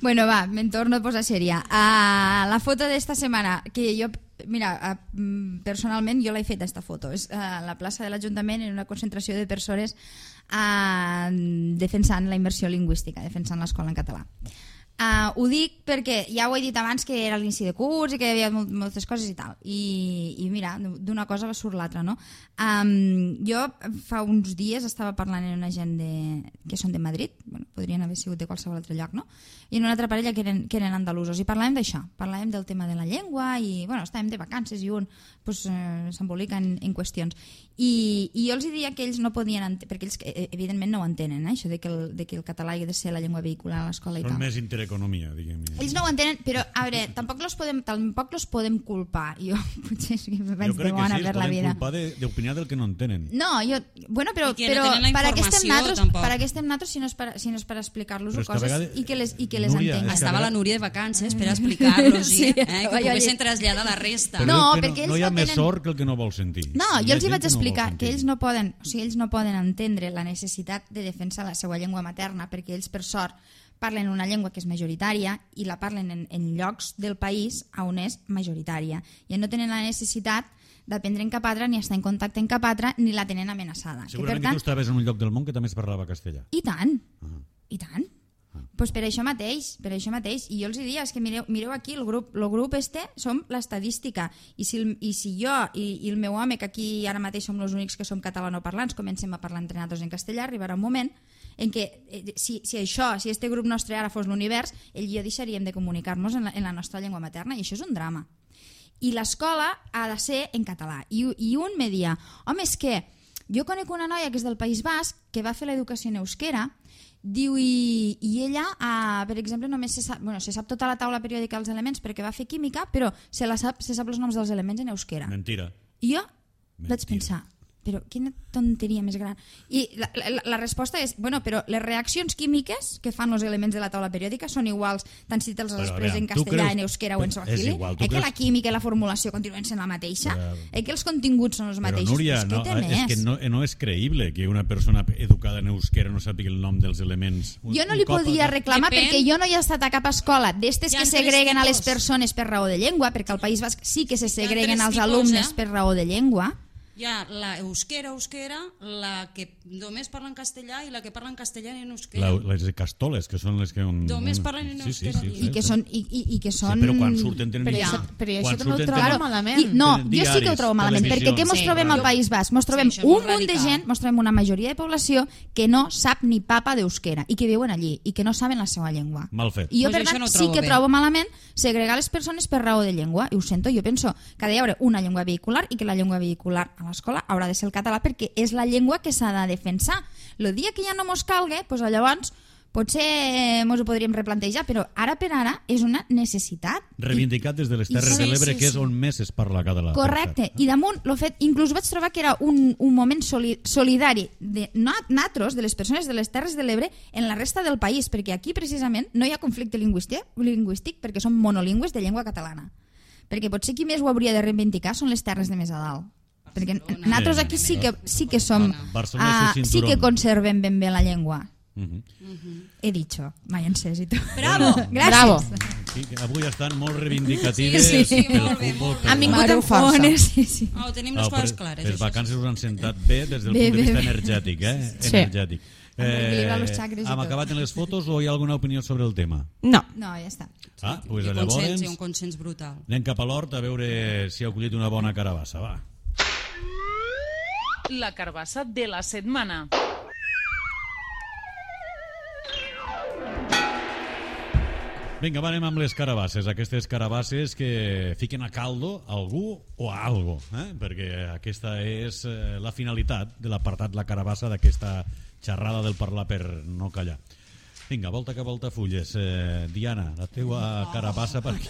Bueno, va, me'n torno a posar sèria. La foto d'esta setmana, que jo, mira, personalment jo l'he fet, esta foto. És a la plaça de l'Ajuntament, en una concentració de persones defensant la immersió lingüística, defensant l'escola en català. Ho dic perquè ja ho he dit abans que era l'inici de curs i que hi havia moltes coses i tal, i mira, d'una cosa va surt l'altra, no? Jo fa uns dies estava parlant amb una gent que són de Madrid, bueno, podrien haver sigut de qualsevol altre lloc, no? I en una altra parella que eren andalusos, i parlàvem d'això, parlàvem del tema de la llengua i bueno, estàvem de vacances i un s'embolica en qüestions, i jo els deia que ells no podien perquè ells evidentment no ho entenen, això de que el català ha de ser la llengua vehicular a l'escola i tal. Són més intereconomia, diguem. Ells no ho entenen, però a veure, tampoc los podem culpar. Jo potser sí que vaig de bona per la vida. Jo crec que sí, es poden culpar d'opinar del que no entenen. No, bueno, però per què estem nosaltres si no és per explicar-los coses i que les entenguin. Estava la Núria de vacances per explicar-los que poguessin traslladar la resta. No, perquè no hi ha més sort que el que no vol sentir. No, jo els hi vaig explicar que ells no poden entendre la necessitat de defensar la seva llengua materna, perquè ells, per sort, parlen una llengua que és majoritària i la parlen en llocs del país on és majoritària, i no tenen la necessitat d'aprendre en cap altre, ni estar en contacte en cap altre, ni la tenen amenaçada. Segurament que tu estaves en un lloc del món que també es parlava castellà. I tant, i tant. Pues per això mateix, i jo els diria, és que mireu aquí, el grup som l'estadística, i si jo i el meu home, que aquí ara mateix som els únics que som catalanoparlants, comencem a parlar entre nosaltres en castellà, arribarà un moment en què si este grup nostre ara fos l'univers, ell i jo deixaríem de comunicar-nos en la nostra llengua materna, i això és un drama. I l'escola ha de ser en català, i un me dia, home, és que jo conec una noia que és del País Basc que va fer l'educació en euskera, diu, i ella, per exemple, només se sap tota la taula periòdica dels elements perquè va fer química, però se sap els noms dels elements en euskera. Mentira. I jo vaig pensar, però quina tonteria més gran. I la resposta és, bueno, però les reaccions químiques que fan els elements de la taula periòdica són iguals tant si te'ls express en castellà, en euskera o en swahili? Que la química i la formulació continuen sent la mateixa? Que els continguts són els mateixos? Però, Núria, és que no és creïble que una persona educada en euskera no sàpiga el nom dels elements. Jo no li podia reclamar perquè jo no he estat a cap escola d'estes que segreguen a les persones per raó de llengua, perquè al País Basc sí que se segreguen als alumnes per raó de llengua. Hi ha la euskera, la que només parla en castellà i la que parla en castellà i en euskera. Les castoles, que són les que... Només parlen en euskera. I que són... Però quan surten tenen... Però això no ho trobo malament. No, jo sí que ho trobo malament, perquè què mos trobem al País Basc? Mos trobem un munt de gent, mos trobem una majoria de població que no sap ni papa d'euskera i que viuen allí i que no saben la seva llengua. Mal fet. I jo, per tant, sí que trobo malament segregar les persones per raó de llengua, i ho sento, jo penso que ha d'haver una llengua vehicular i que la llengua vehicular a l'escola haurà de ser el català perquè és la llengua que s'ha de defensar. El dia que ja no mos calgue, doncs llavors potser mos ho podríem replantejar, però ara per ara és una necessitat. Reivindicat des de les Terres de l'Ebre, que és on més es parla català. Correcte, i damunt l'ho fet, inclús vaig trobar que era un moment solidari de nosaltres, de les persones de les Terres de l'Ebre, en la resta del país, perquè aquí precisament no hi ha conflicte lingüístic perquè som monolingües de llengua catalana. Perquè potser qui més ho hauria de reivindicar són les terres de més a dalt. Perquè nosaltres aquí sí que som, sí que conservem ben bé la llengua. He dicho, mai encès i tu. Bravo! Gràcies. Avui estan molt reivindicatives pel futbol. Han vingut amb força. Sí. Oh, tenim les coses clares. Les vacances us han sentat bé des del punt de vista energètic, energètic. equilibrar los chakras i Hem tot. acabat en les fotos o hi ha alguna opinió sobre el tema? No. No, ja està. Pues Un llavors consens, un consens brutal. anem cap a l'hort a veure si ha collit una bona carabassa, va. La carbassa de la setmana. Vinga, va, anem amb les carabasses. Aquestes carabasses que fiquen a caldo algú o a algo, perquè aquesta és la finalitat de l'apartat La Carabassa d'aquesta xerrada del parlar per no callar. Vinga, volta que volta fulles. Diana, la teua carabassa per aquí.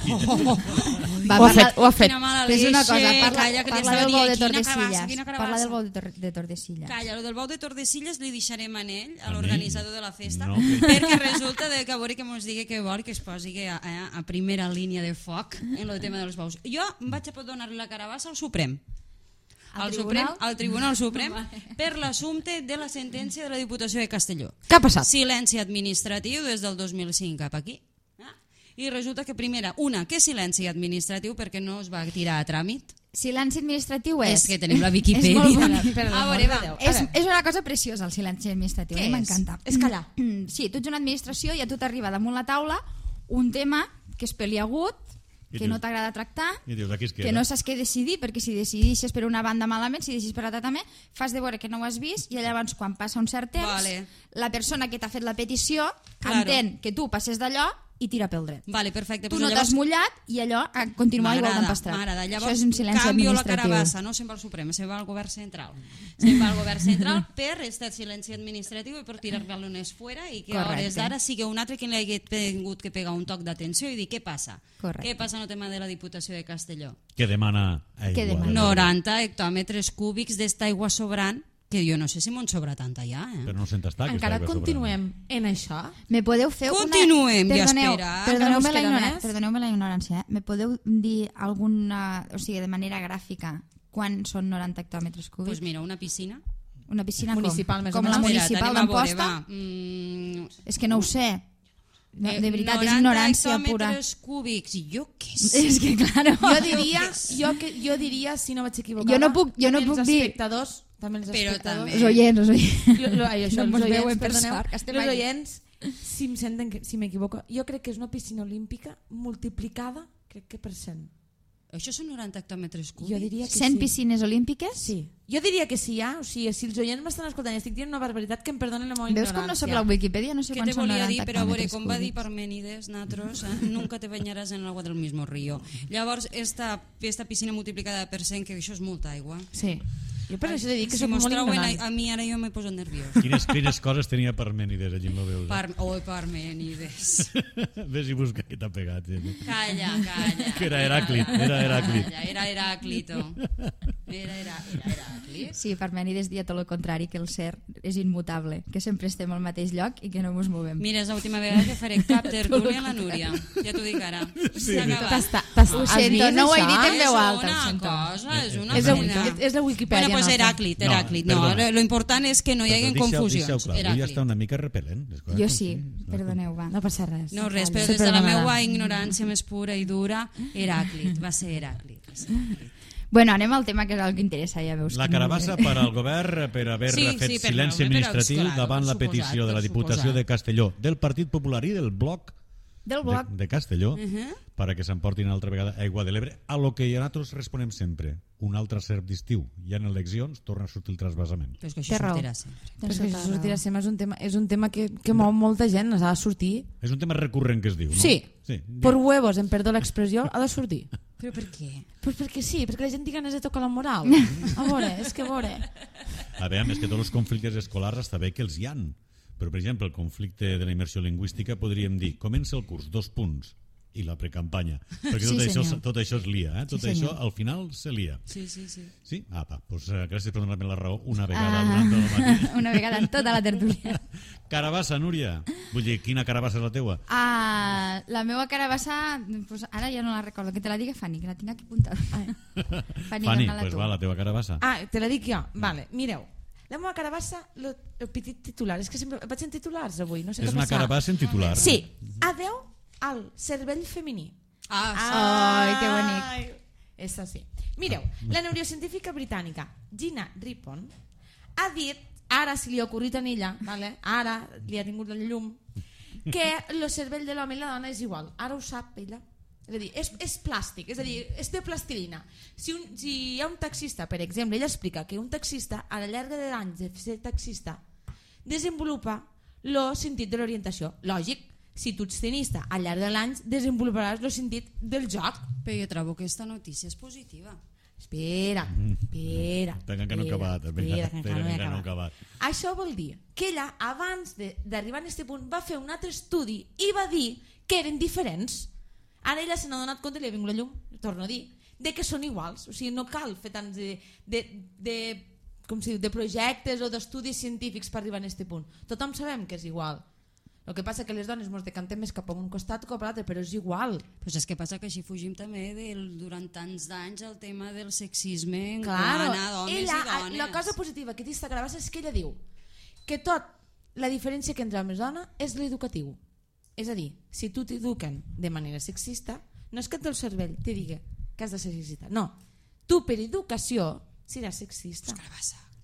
Va, Ho ha fet. Quina mala Fes una leche, cosa, calla, que parla li del estava bou de dient, quina Tordesillas. carabassa. Parla del bou de Tordesillas. Calla, lo del bou de Tordesillas li deixarem a ell, A a mi? l'organitzador de la festa, No. perquè resulta que a veure que mos digui que vol que es posi a primera línia de foc en el tema dels bous. Jo vaig a donar-li la carabassa al Suprem. Al Al Tribunal Suprem per l'assumpte de la sentència de la Diputació de Castelló. Què ha passat? Silenci administratiu des del 2005 cap aquí. I resulta que primera, que silenci administratiu perquè no es va tirar a tràmit. Silenci administratiu és... És que tenim la És Viquipèdia. molt bona. A veure, va. És una cosa preciosa el silenci administratiu, Què a mi és? m'encanta. És callar. Sí, tu ets una administració i a tu t'arriba damunt la taula un tema que és peliagut, I que dius- no t'agrada tractar, I dius, aquí es queda. que no saps què decidir, perquè si decidixes per una banda malament, si decidis per l'altra també, fas de veure que no ho has vist i llavors quan passa un cert temps, Vale. la persona que t'ha fet la petició Claro. entén que tu passes d'allò i tira pel dret. Vale, perfecte. Tu Pues no t'has mullat i allò continua igual d'empastrat. M'agrada. Això Llavors, és un silenci canvio la administratiu. carabassa, no se'n va al Suprem, se'n va al govern central. Se'n va al govern central per estar silenci administratiu i per tirar balones fuera i que a Correcte. hores d'ara sigui un altre que li hagi tingut que pegar un toc d'atenció i dir què passa. Correcte. Què passa en el tema de la Diputació de Castelló? Que demana aigua. Què demana? 90 hectòmetres cúbics d'esta aigua sobrant, que jo no sé si m'on sobra tanta ja, Però no sent estar, aquesta Encara aigua continuem en això? Me podeu fer Continuem, una... ja espera. Perdoneu-me Encara us queda més? perdoneu la ignorància. Me podeu dir alguna... O sigui, de manera gràfica, quan són 90 hectòmetres cúbics? Pues mira, una piscina. Una piscina Municipal, més o com la menys. municipal Espera't, anem a veure, d'Amposta? va. És que no ho sé. No, de veritat, 90 és ignorància pura. hectòmetres cúbics, i jo què sé. És que, claro... Jo diria, si no vaig equivocar, Jo no puc també dir- els espectadors, també els Però espectadors, també- Els oients, els oients. Això, No mos els veuen oients, per perdoneu, sort, que estem els allí. oients, si em senten, si m'equivoco, jo crec que és una piscina olímpica multiplicada, crec que per 100. Això són 90 hectòmetres cúbics? Jo diria que 100 sí. piscines olímpiques? Sí. Jo diria que sí, o sigui, si els oients m'estan escoltant i estic dient una barbaritat, que em perdonen la meva Veus com no sóc la Wikipedia? No sé ¿Qué quan te són volia 90 dir? Però a veure, hectòmetres com va dir cúbics. Parménides, natros, nunca te bañaràs en el agua del mismo río. Llavors, esta piscina multiplicada per 100, que això és molta aigua. Sí. Jo per això he dit que Si soc mos molt trauen ignorant. a mi, ara jo me poso nerviós. Quines coses tenia Parménides allí en la veu? Parménides. Ves i busca què t'ha pegat. Calla. Que era Heràclit, era Heràclit. Calla, era Heráclito. Era Heràclit. Sí, Parmènides dia tot el contrari, que el ser és immutable, que sempre estem al mateix lloc i que no ens movem. Mira, és l'última vegada que faré cap tertúlia a la Núria. Ja t'ho dic ara. S'ha acabat. Ho sento, no ho he dit en És veu alta. ho una sento. cosa, és una És la, pena. és la Wikipedia. Bueno, pues nostra. Heràclit. No, No, perdona. lo important és que no hi hagi confusions. Deixa-ho clar, avui ja està Heràclit. una mica repel·lent. les coses Jo com sí, són. perdoneu, va. No passa res. No, res, però Se des de la perdonarà. meva ignorància més pura i dura, Heràclit, va ser Heràclit. Bueno, anem al tema que és el que interessa, ja veus. La que carabassa per al govern per haver Sí, fet sí, per silenci veure, però, administratiu clar, davant la per suposat, petició de la per Diputació suposat. de Castelló, del Partit Popular i del Bloc Del bloc. de Castelló para que s'emportin altra vegada aigua de l'Ebre, a lo que nosaltres responem sempre, un altre cert d'estiu. Hi ha eleccions, torna a sortir el trasbassament. Però és que Té això raó. sortirà sempre. Però és Tens que tota això la sortirà raó. sempre, és un tema que mou molta gent, ha de sortir. És un tema recurrent que es diu, no? Sí. Sí. Per huevos, em perdó l'expressió, ha de sortir. Però per què? Pues perquè sí, perquè la gent té ganes de tocar la moral. A veure, és que a veure. A veure, més que tots els conflictes escolars està bé que els hi han. Però, per exemple, el conflicte de la immersió lingüística podríem dir, comença el curs, 2 punts, i la precampanya. Perquè Sí, tot això es lia, eh? Tot Sí, això senyor. al final se lia. Sí. Sí? Apa, doncs gràcies per donar-me la raó una vegada durant el matí. Una vegada en tota la tertúlia. Carabassa, Núria. Vull dir, quina carabassa és la teua? La meva carabassa, pues ara ja no la recordo, que te la digui Fanny, que la tinc aquí apuntada. Fanny, Fanny, dona-la doncs tu. va, la teva carabassa. Ah, te la dic jo. Vale, mireu. La meva carabassa, el petit titular. És que sempre vaig en titulars avui, no sé És què una passar. carabassa en titular. Sí, adeu al cervell femení. Ai, que bonic. És així. Mireu, la neurocientífica britànica Gina Rippon ha dit, ara si li ha ocorrit a ella, vale? Ara li ha tingut el llum, que el cervell de l'home i la dona és igual. Ara ho sap ella. És a dir, és plàstic, és a dir, és de plastilina. Si hi ha un taxista, per exemple, ella explica que un taxista a la llarga de l'any de ser taxista desenvolupa el sentit de l'orientació. Lògic, si tu ets tenista al llarg de l'any desenvoluparàs el sentit del joc. Però jo trobo que aquesta notícia és positiva. Espera. Que no he acabat. Això vol dir que ella, abans d'arribar a aquest punt, va fer un altre estudi i va dir que eren diferents. Ara ella se n'ha donat compte, li ha vingut la llum, torno a dir, de que són iguals. O sigui, no cal fer tants de projectes o d'estudis científics per arribar a aquest punt. Tothom sabem que és igual. El que passa que les dones ens decantem més cap a un costat o cap a l'altre, però és igual. Però és que passa que així fugim també durant tants d'anys el tema del sexisme en claro, quant a homes i dones. La cosa positiva que té esta carabassa és que ella diu que la diferència que entre homes i dona és l'educatiu. És a dir, si tu t'eduquen de manera sexista, no és que el teu cervell te digui que has de ser sexista. No, tu per educació seràs sexista.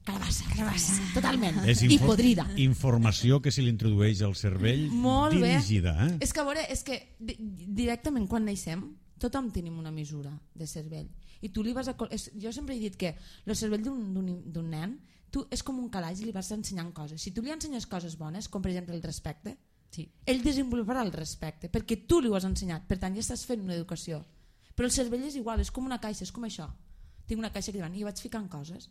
Carabassa, totalment. I podrida. Informació que se li introdueix al cervell molt dirigida. És que a veure, directament quan naixem tothom tenim una mesura de cervell. I tu li vas jo sempre he dit que el cervell d'un nen és com un calaix i li vas ensenyant coses. Si tu li ensenyes coses bones, com per exemple el respecte, ell desenvoluparà el respecte perquè tu li ho has ensenyat, per tant ja estàs fent una educació. Però el cervell és igual, és com una caixa, és com això. Tinc una caixa aquí davant i vaig ficant coses.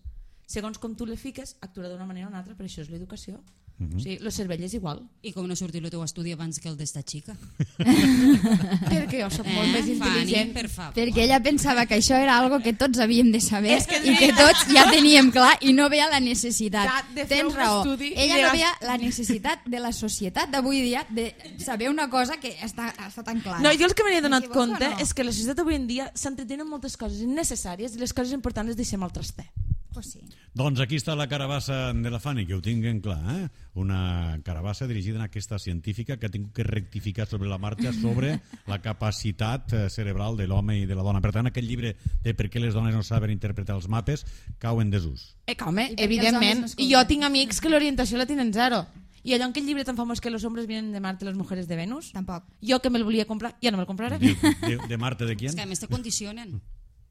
Segons com tu le fiques, actuarà d'una manera o una altra, però això és l'educació. O sigui, el cervell és igual. I com no sortir el teu estudi abans que el d'esta xica? Perquè jo soc molt més intel·ligent. Perquè ella pensava que això era algo que tots havíem de saber i que tots ja teníem clar i no veia la necessitat. Tens raó. Ella no veia la necessitat de la societat d'avui dia de saber una cosa que està tan clara. No, jo el que m'he donat compte és que la societat avui en dia s'entretenen moltes coses innecessàries i les coses importants les deixem al traster. Pues sí. Doncs aquí està la carabassa de la Fanny, que ho tinguen clar, una carabassa dirigida en aquesta científica que ha tingut que rectificar sobre la marxa sobre la capacitat cerebral de l'home i de la dona. Per tant, aquest llibre de per què les dones no saben interpretar els mapes cau en desús. Home, evidentment. I jo tinc amics que l'orientació la tenen zero. I allò en aquell llibre tan famós que los hombres vienen de Marte, las mujeres de Venus, tampoc. Jo que me'l volia comprar, ja no me'l compraré. De Marte de quién? És que a més te condicionen.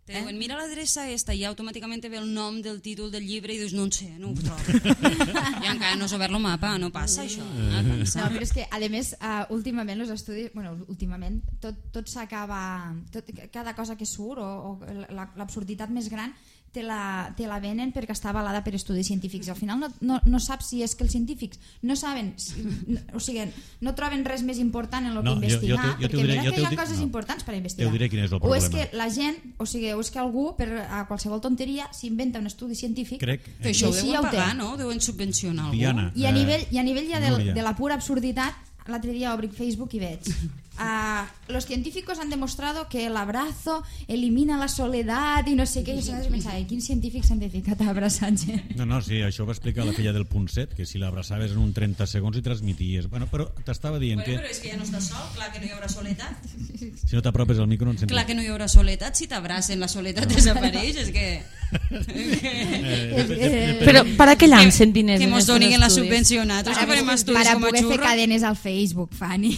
Te diuen, mira l'adreça esta i automàticament ve el nom del títol del llibre i dius, no en sé, no ho trobo. I encara no has obert el mapa, no passa això. No, però és que, a més, últimament els estudis, últimament, tot s'acaba, cada cosa que surt o l'absurditat més gran te la venen perquè està avalada per estudis científics. Al final no saps si és que els científics no saben, o sigui, no troben res més important en el que investigar, perquè mira que hi ha coses importants per investigar. O és que la gent, o sigui, o és que algú per a qualsevol tonteria s'inventa un estudi científic. Però això ho deuen pagar, no? Deuen subvencionar algú. I a nivell ja de la pura absurditat, l'altre dia obric Facebook i veig los científicos han demostrado que el abrazo elimina la soledad i no sé què, i jo pensava, quins científics s'han dedicat a abraçar gent? No, sí, això ho va explicar la filla del Punset, que si l'abraçaves en un 30 segons i transmities. Bueno, però t'estava dient que... Però és que ja no estàs sol, clar que no hi haurà soledat. Si no t'apropes al micro no en sentis. Clar que no hi haurà soledat, si t'abracen la soledat desapareix, és que... Però para què llancen diners? Que mos donin la subvenció nosaltres, que farem estudis com a xurro. Para poder fer cadenes al Facebook, Fanny.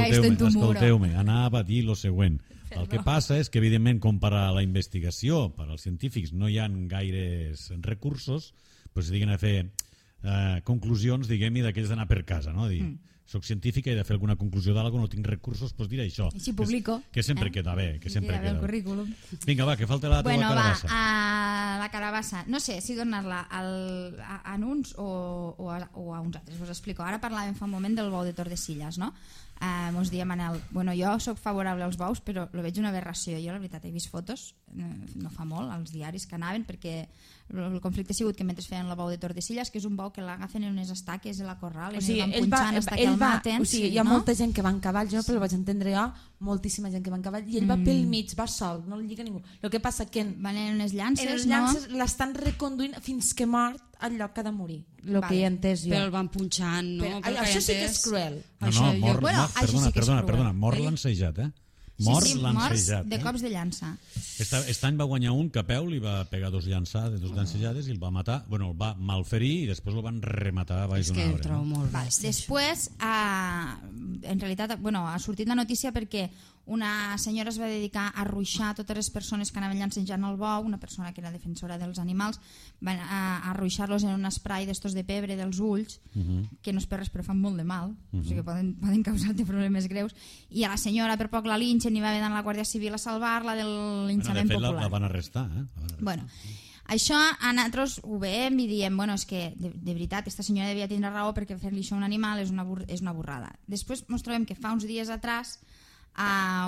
Escolteu-me, anava a dir el següent. El que passa és que, evidentment, com per a la investigació, per als científics, no hi ha gaires recursos, doncs diguen a fer conclusions, diguem-hi, d'aquells d'anar per casa, no? Dir, soc científica i he de fer alguna conclusió d'algú, no tinc recursos, doncs diré això. I si publico. Que sempre queda bé. Que sempre queda bé el currículum. Vinga, va, que falta la teva carabassa. La carabassa. No sé si donar-la a uns o a uns altres. Us explico. Ara parlàvem fa un moment del bou de Tordesillas, no? Mos deia Manel, bueno, jo sóc favorable als bous, però lo veig una aberració. Jo, la veritat, he vist fotos, no fa molt, als diaris que anaven, perquè el conflicte ha sigut que mentre feien el bou de Tordesillas, que és un bou que l'agafen en unes estaques a la corral, o sigui, el van punxant hasta que el maten. O sigui, hi ha molta gent que va en cavall, jo no ho vaig entendre jo, moltíssima gent que va en cavall, i ell va pel mig, va sol, no li lliga ningú. El que passa que van en unes llances, les llances l'estan reconduint fins que mort al lloc que ha de morir, el Vale. que he entès jo. Però el van punxant, no? Però, Pel que he això sí que entès. és cruel. No, mort, Bueno, això sí que és cruel. perdona, mort lancejat, Mort morts lancejat. de cops de llança. Aquest any va guanyar un que a peu li va pegar dos llancejades i el va matar, bueno, el va malferir i després el van rematar a baix És d'un que el arbre. trobo molt Vale. bèstia. Després, en realitat, ha sortit la notícia perquè una senyora es va dedicar a ruixar totes les persones que anaven llancejant el bou, una persona que era defensora dels animals, van a ruixar-los en un spray d'estos de pebre dels ulls, que no és per res però fan molt de mal, o sigui que poden causar-te problemes greus, i a la senyora per poc la linxen i va haver d'anar a la Guàrdia Civil a salvar-la del linxament de fet, popular. la van arrestar, Bueno, això a nosaltres ho veiem i diem, bueno, és que de veritat, aquesta senyora devia tindre raó perquè fer-li això a un animal és una burrada. Després ens trobem que fa uns dies atrás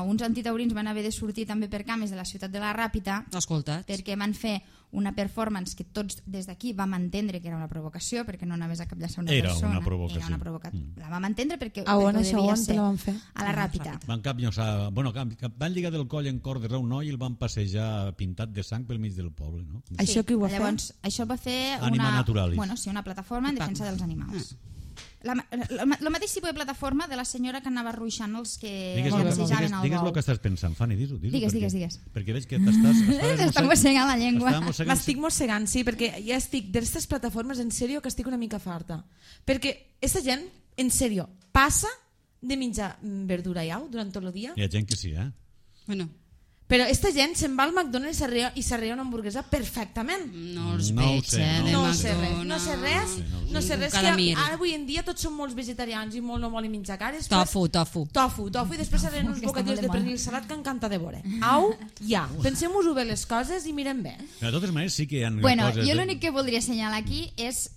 uns antitaurins van haver de sortir també per cames de la ciutat de la Ràpita Escolta't. perquè van fer una performance que tots des d'aquí vam entendre que era una provocació perquè no anaves a capllaçar una Era persona. una provocació. Era una provocació. La vam entendre perquè, A on perquè això, devia on te ser la van fer? a la Ràpita. Van van lligar del coll en cordes a un noi i el van passejar pintat de sang pel mig del poble, no? Això qui ho va fer? Llavors, això va fer Anima Naturalis. una plataforma en defensa dels animals. El mateix tipus de plataforma de la senyora que anava ruixant els que llancejaven el digues bou. el que estàs pensant, Fanny, digues-ho. Digues. Perquè veig que t'estàs... Està mossegant la llengua. M'estic mossegant, sí, perquè ja estic d'aquestes plataformes, en sèrio, que estic una mica farta. Perquè aquesta gent, en sèrio, passa de menjar verdura i au durant tot el dia, Hi ha gent que sí, Bueno, però aquesta gent se'n va al McDonald's i s'arrea una hamburguesa perfectament. no els No ho veig, sé, de No sé res, McDonald's. no sé res, Cada que mir. avui en dia tots són molts vegetarians i molt no volen menjar cares. Tofu. Tofu, i després s'arren uns Que està bocadillos molt de de moda. pernil salat que encanta de veure. Au, ja. Pensem-nos-ho bé les coses i mirem bé. De totes maneres sí que hi ha Bueno, coses... jo l'únic que voldria assenyalar aquí és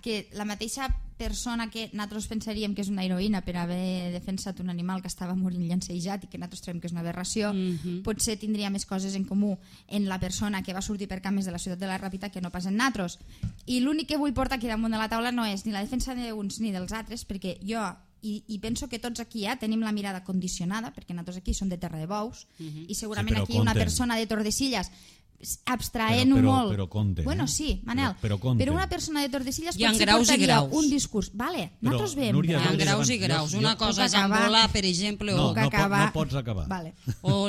que la mateixa persona que nosaltres pensaríem que és una heroïna per haver defensat un animal que estava morint llancejat i que nosaltres trobem que és una aberració, potser tindria més coses en comú en la persona que va sortir per cames de la ciutat de la Ràpita que no pas en nosaltres. I l'únic que vull portar aquí damunt de la taula no és ni la defensa d'uns ni dels altres, perquè jo i penso que tots aquí tenim la mirada condicionada, perquè nosaltres aquí som de terra de bous, i segurament Sí, però aquí una compten. persona de Tordesillas abstraent-ho molt. Però compte, Bueno, sí, Manel, Però compte. una persona de Tordesillas Hi ha potser graus i portaria graus. un discurs. Vale, Però, nosaltres veiem. Núria, Hi ha jo graus i jo- graus. jo- Una cosa és puc acabar. embolar, per exemple, No, o, que no, acabar. no pots acabar. Vale.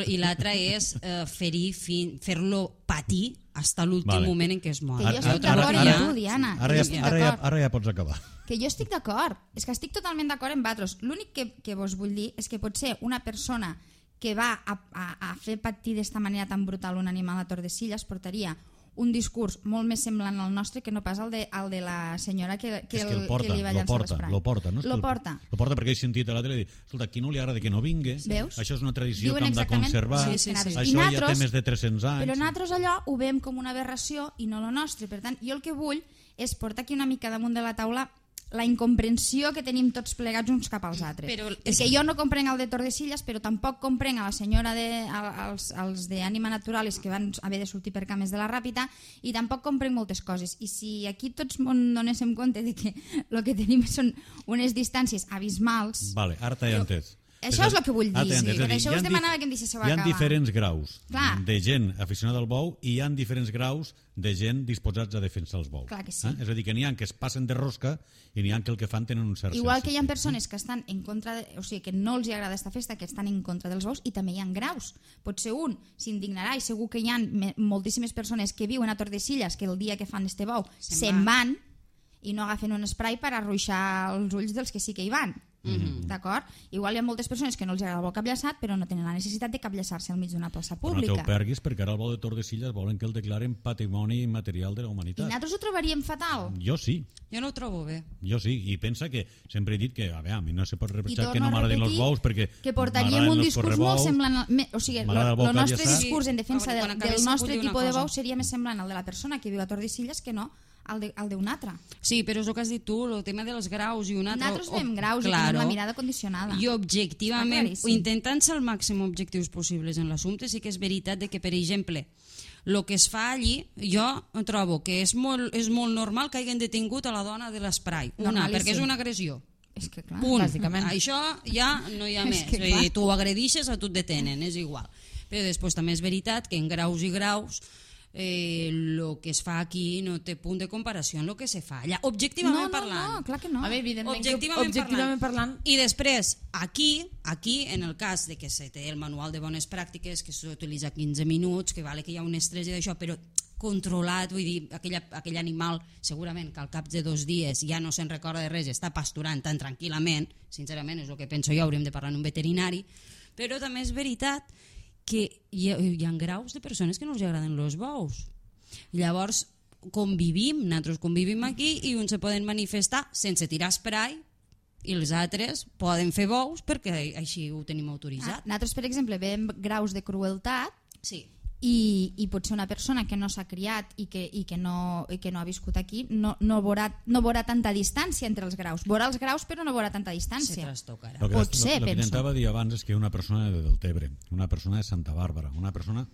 i l'altra és ferir, fer-lo patir fins a l'últim Vale. moment en què es mor. Que jo estic Jo d'acord trobo amb que tu, ja- Diana. Ara que ja, jo estic ara, ja, d'acord. ara ja pots acabar. Que jo estic d'acord. És que estic totalment d'acord amb vosaltres. L'únic que vos vull dir és que potser una persona que va a fer patir d'esta manera tan brutal un animal a Tordesillas portaria un discurs molt més semblant al nostre que no pas el de la senyora que És que el porta, li va lo llançar porta, l'esprai. lo porta, no? És que Lo porta. Lo porta perquè he sentit a la tele dir, escolta, a qui no li agrada que no vingui, Veus? això és una tradició Diuen que hem de exactament- conservar, sí, sí, sí. això I ja té nosaltres- més de 300 anys. Però nosaltres allò ho veiem com una aberració i no lo nostre. Per tant, jo el que vull és portar aquí una mica damunt de la taula la incomprensió que tenim tots plegats uns cap als altres. Però Perquè jo no comprenc el de Tordesillas, però tampoc comprenc a la senyora als d'Ànima Naturalis que van haver de sortir per cames de la Ràpita, i tampoc comprenc moltes coses. I si aquí tots donéssim compte de que el que tenim són unes distàncies abismals, Vale, ara t'he entès. Això és el que vull dir, Ara t'he entès. sí. És a Per dir, això hi ha us demanava que em deixéssiu Hi ha acabar. diferents graus Clar. de gent aficionada al bou i hi ha diferents graus de gent disposats a defensar els bous. Clar que sí. És a dir, que n'hi ha que es passen de rosca i n'hi ha que el que fan tenen un cert Igual que hi ha sentit. persones que estan en contra, o sigui, que no els agrada esta festa, que estan en contra dels bous, i també hi ha graus. Potser un s'indignarà, i segur que hi ha moltíssimes persones que viuen a Tordesillas que el dia que fan este bou se'n van i no agafen un spray per arruixar els ulls dels que sí que hi van. D'acord? Igual hi ha moltes persones que no els agrada el bou capllaçat, però no tenen la necessitat de capllaçar-se al mig d'una plaça Però no pública. te'l perguis perquè ara el bou de Tordesillas volen que el declaren patrimoni material de la I humanitat. nosaltres ho trobaríem fatal. Jo sí. Jo no ho trobo bé. Jo sí, i pensa que sempre he dit que a veure, a mi no se pot I reprochar que torno no a m'agradin els repetir bous perquè que portaríem m'agraden un els discurs molt correbous. semblant o sigui, M'agrada el bou el nostre capllaçat. discurs en defensa Quan del acabés nostre vull dir una tipus de cosa. bou seria més semblant al de la persona que viu a Tordesillas que no al d'un altre. Sí, però és el que has dit tu, el tema dels graus i un altre... Nosaltres veiem graus i tenim la mirada condicionada. I objectivament, Està claríssim. intentant ser el màxim objectius possibles en l'assumpte, sí que és veritat de que, per exemple, el que es fa allí, jo trobo que és molt normal que hagin detingut a la dona de l'esprai. Una, Normalíssim. perquè és una agressió. És que clar, Punt. bàsicament. Això ja no hi ha És més. que És a dir, clar. tu agredixes o tu et detenen, és igual. Però després també és veritat que en graus i graus el que es fa aquí no té punt de comparació amb el que se fa allà, objectivament parlant. No, clar que no. A veure, evidentment, Objectivament parlant... I després, aquí, en el cas de que se té el manual de bones pràctiques, que s'utilitza 15 minuts, que vale que hi ha un estrès i d'això, però controlat, vull dir, aquell animal segurament que al cap de 2 dies ja no se'n recorda de res, està pasturant tan tranquil·lament, sincerament és el que penso jo, hauríem de parlar amb un veterinari, però també és veritat que hi ha graus de persones que no els agraden els bous. Llavors nosaltres convivim aquí i uns se poden manifestar sense tirar spray i els altres poden fer bous perquè així ho tenim autoritzat. Nosaltres, per exemple, veiem graus de crueltat. Sí. I potser una persona que no s'ha criat i que no ha viscut aquí no veurà tanta distància entre els graus. Veurà els graus però no veurà tanta distància. Se trastocarà. Potser, penso. El que penso. intentava dir abans és que una persona de Deltebre, una persona de Santa Bàrbara, una persona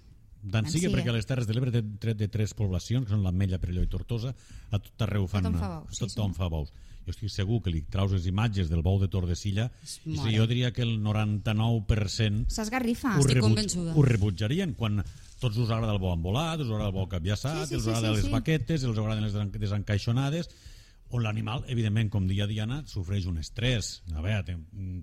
tant sigui perquè a les Terres de l'Ebre té tret de 3 poblacions, que són l'Ametlla, Perelló i Tortosa, a tot arreu fan... Tothom fa bous. Jo estic segur que li traus les imatges del bou de Tordesillas i jo diria que el 99% s'esgarrifa. ho rebutjarien quan tots us agrada el bou embolat, us agrada el bou capllaçat, us agrada les baquetes, us agraden les desencaixonades, on l'animal, evidentment, com deia Diana, sofreix un estrès. A veure,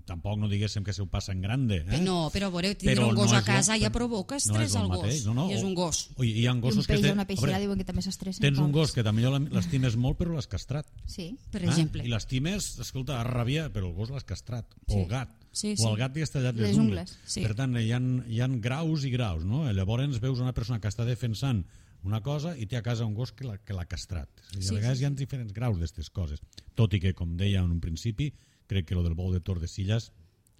tampoc no diguéssim que se ho passa en grande. No, però veureu, tindre un gos a casa ja provoca estrès al gos. I és un gos. Hi ha gossos que... Un peix o una peixera diuen que també s'estressen. Tens un gos que també l'estimes molt, però l'has castrat. Sí, per exemple. I l'estimes, escolta, a rabia, però el gos l'has castrat. O el gat. O el gat li has tallat les ungles. Per tant, hi ha graus i graus, no? Llavors veus una persona que està defensant una cosa i té a casa un gos que l'ha castrat. A vegades hi ha diferents graus d'aquestes coses. Tot i que, com deia en un principi, crec que el del bou de Tordesillas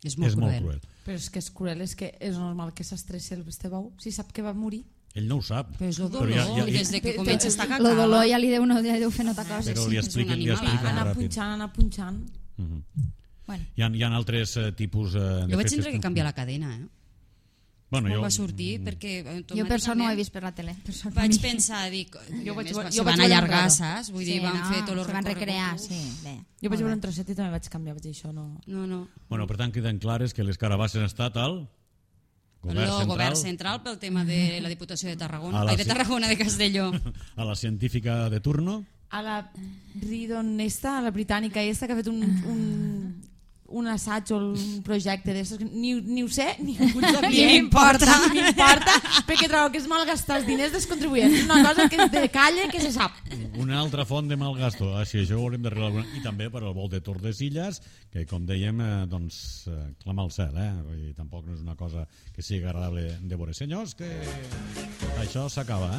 és molt cruel. Però és que és cruel, és que és normal que s'estressi el este bou si sap que va morir. Ell no ho sap. Però és el dolor, des de que comença a estar cacada. El dolor ja li deu fer nota coses. Però li explica ràpid. Anar punxant. Hi ha altres tipus... Jo vaig tindre que canviar la cadena, Bueno, va sortir perquè jo per això no ho he vist per la tele. Vaig pensar, dic, se van allargar, saps? Vull dir, van fer tot el recorregut. Se van recrear, sí. Jo vaig veure un trosset i també vaig canviar, vaig dir això no... Bueno, per tant, queden clares que les carabasses han estat al govern central pel tema de la Diputació de Tarragona, de Tarragona, de Castelló. A la científica de turno? A la Ridon esta, a la britànica esta, que ha fet un assaig o un projecte d'estos, ni ho sé, ni m'importa, perquè trobo que és malgastar els diners dels contribuents. Una cosa que és de calle, que se sap. Una altra font de malgasto. Així, això ho haurem d'arreglar alguna. I també per al bou de Tordesillas, que com dèiem, doncs, clama al cel, I tampoc no és una cosa que sigui agradable de veure. Senyors, que això s'acaba,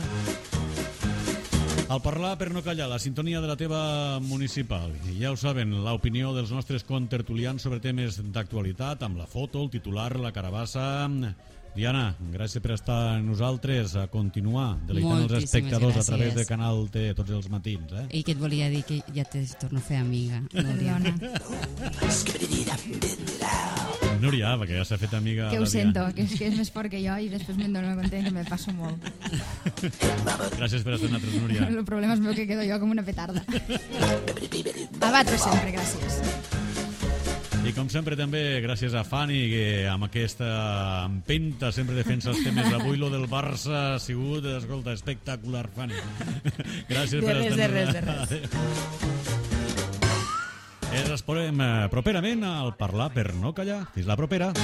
Al parlar per no callar, la sintonia de la teva municipal. I ja ho saben, l'opinió dels nostres contertulians sobre temes d'actualitat, amb la foto, el titular, la carabassa... Diana, gràcies per estar amb nosaltres, a continuar deleitant els espectadors a través de Canal T tots els matins. I que et volia dir que ja te torno a fer amiga, Núria. Núria, perquè ja s'ha fet amiga... Que ho sento, que és més fort que jo i després me'n dono compte que me passo molt. Gràcies per estar amb nosaltres, Núria. El problema és meu que quedo jo com una petarda. A batre sempre, gràcies. I com sempre també gràcies a Fanny, que amb aquesta empenta sempre defensa els temes. Avui lo del Barça ha sigut, escolta, espectacular, Fanny. Gràcies per estar... De res. Ens exposem properament al parlar per no callar. Fins la propera.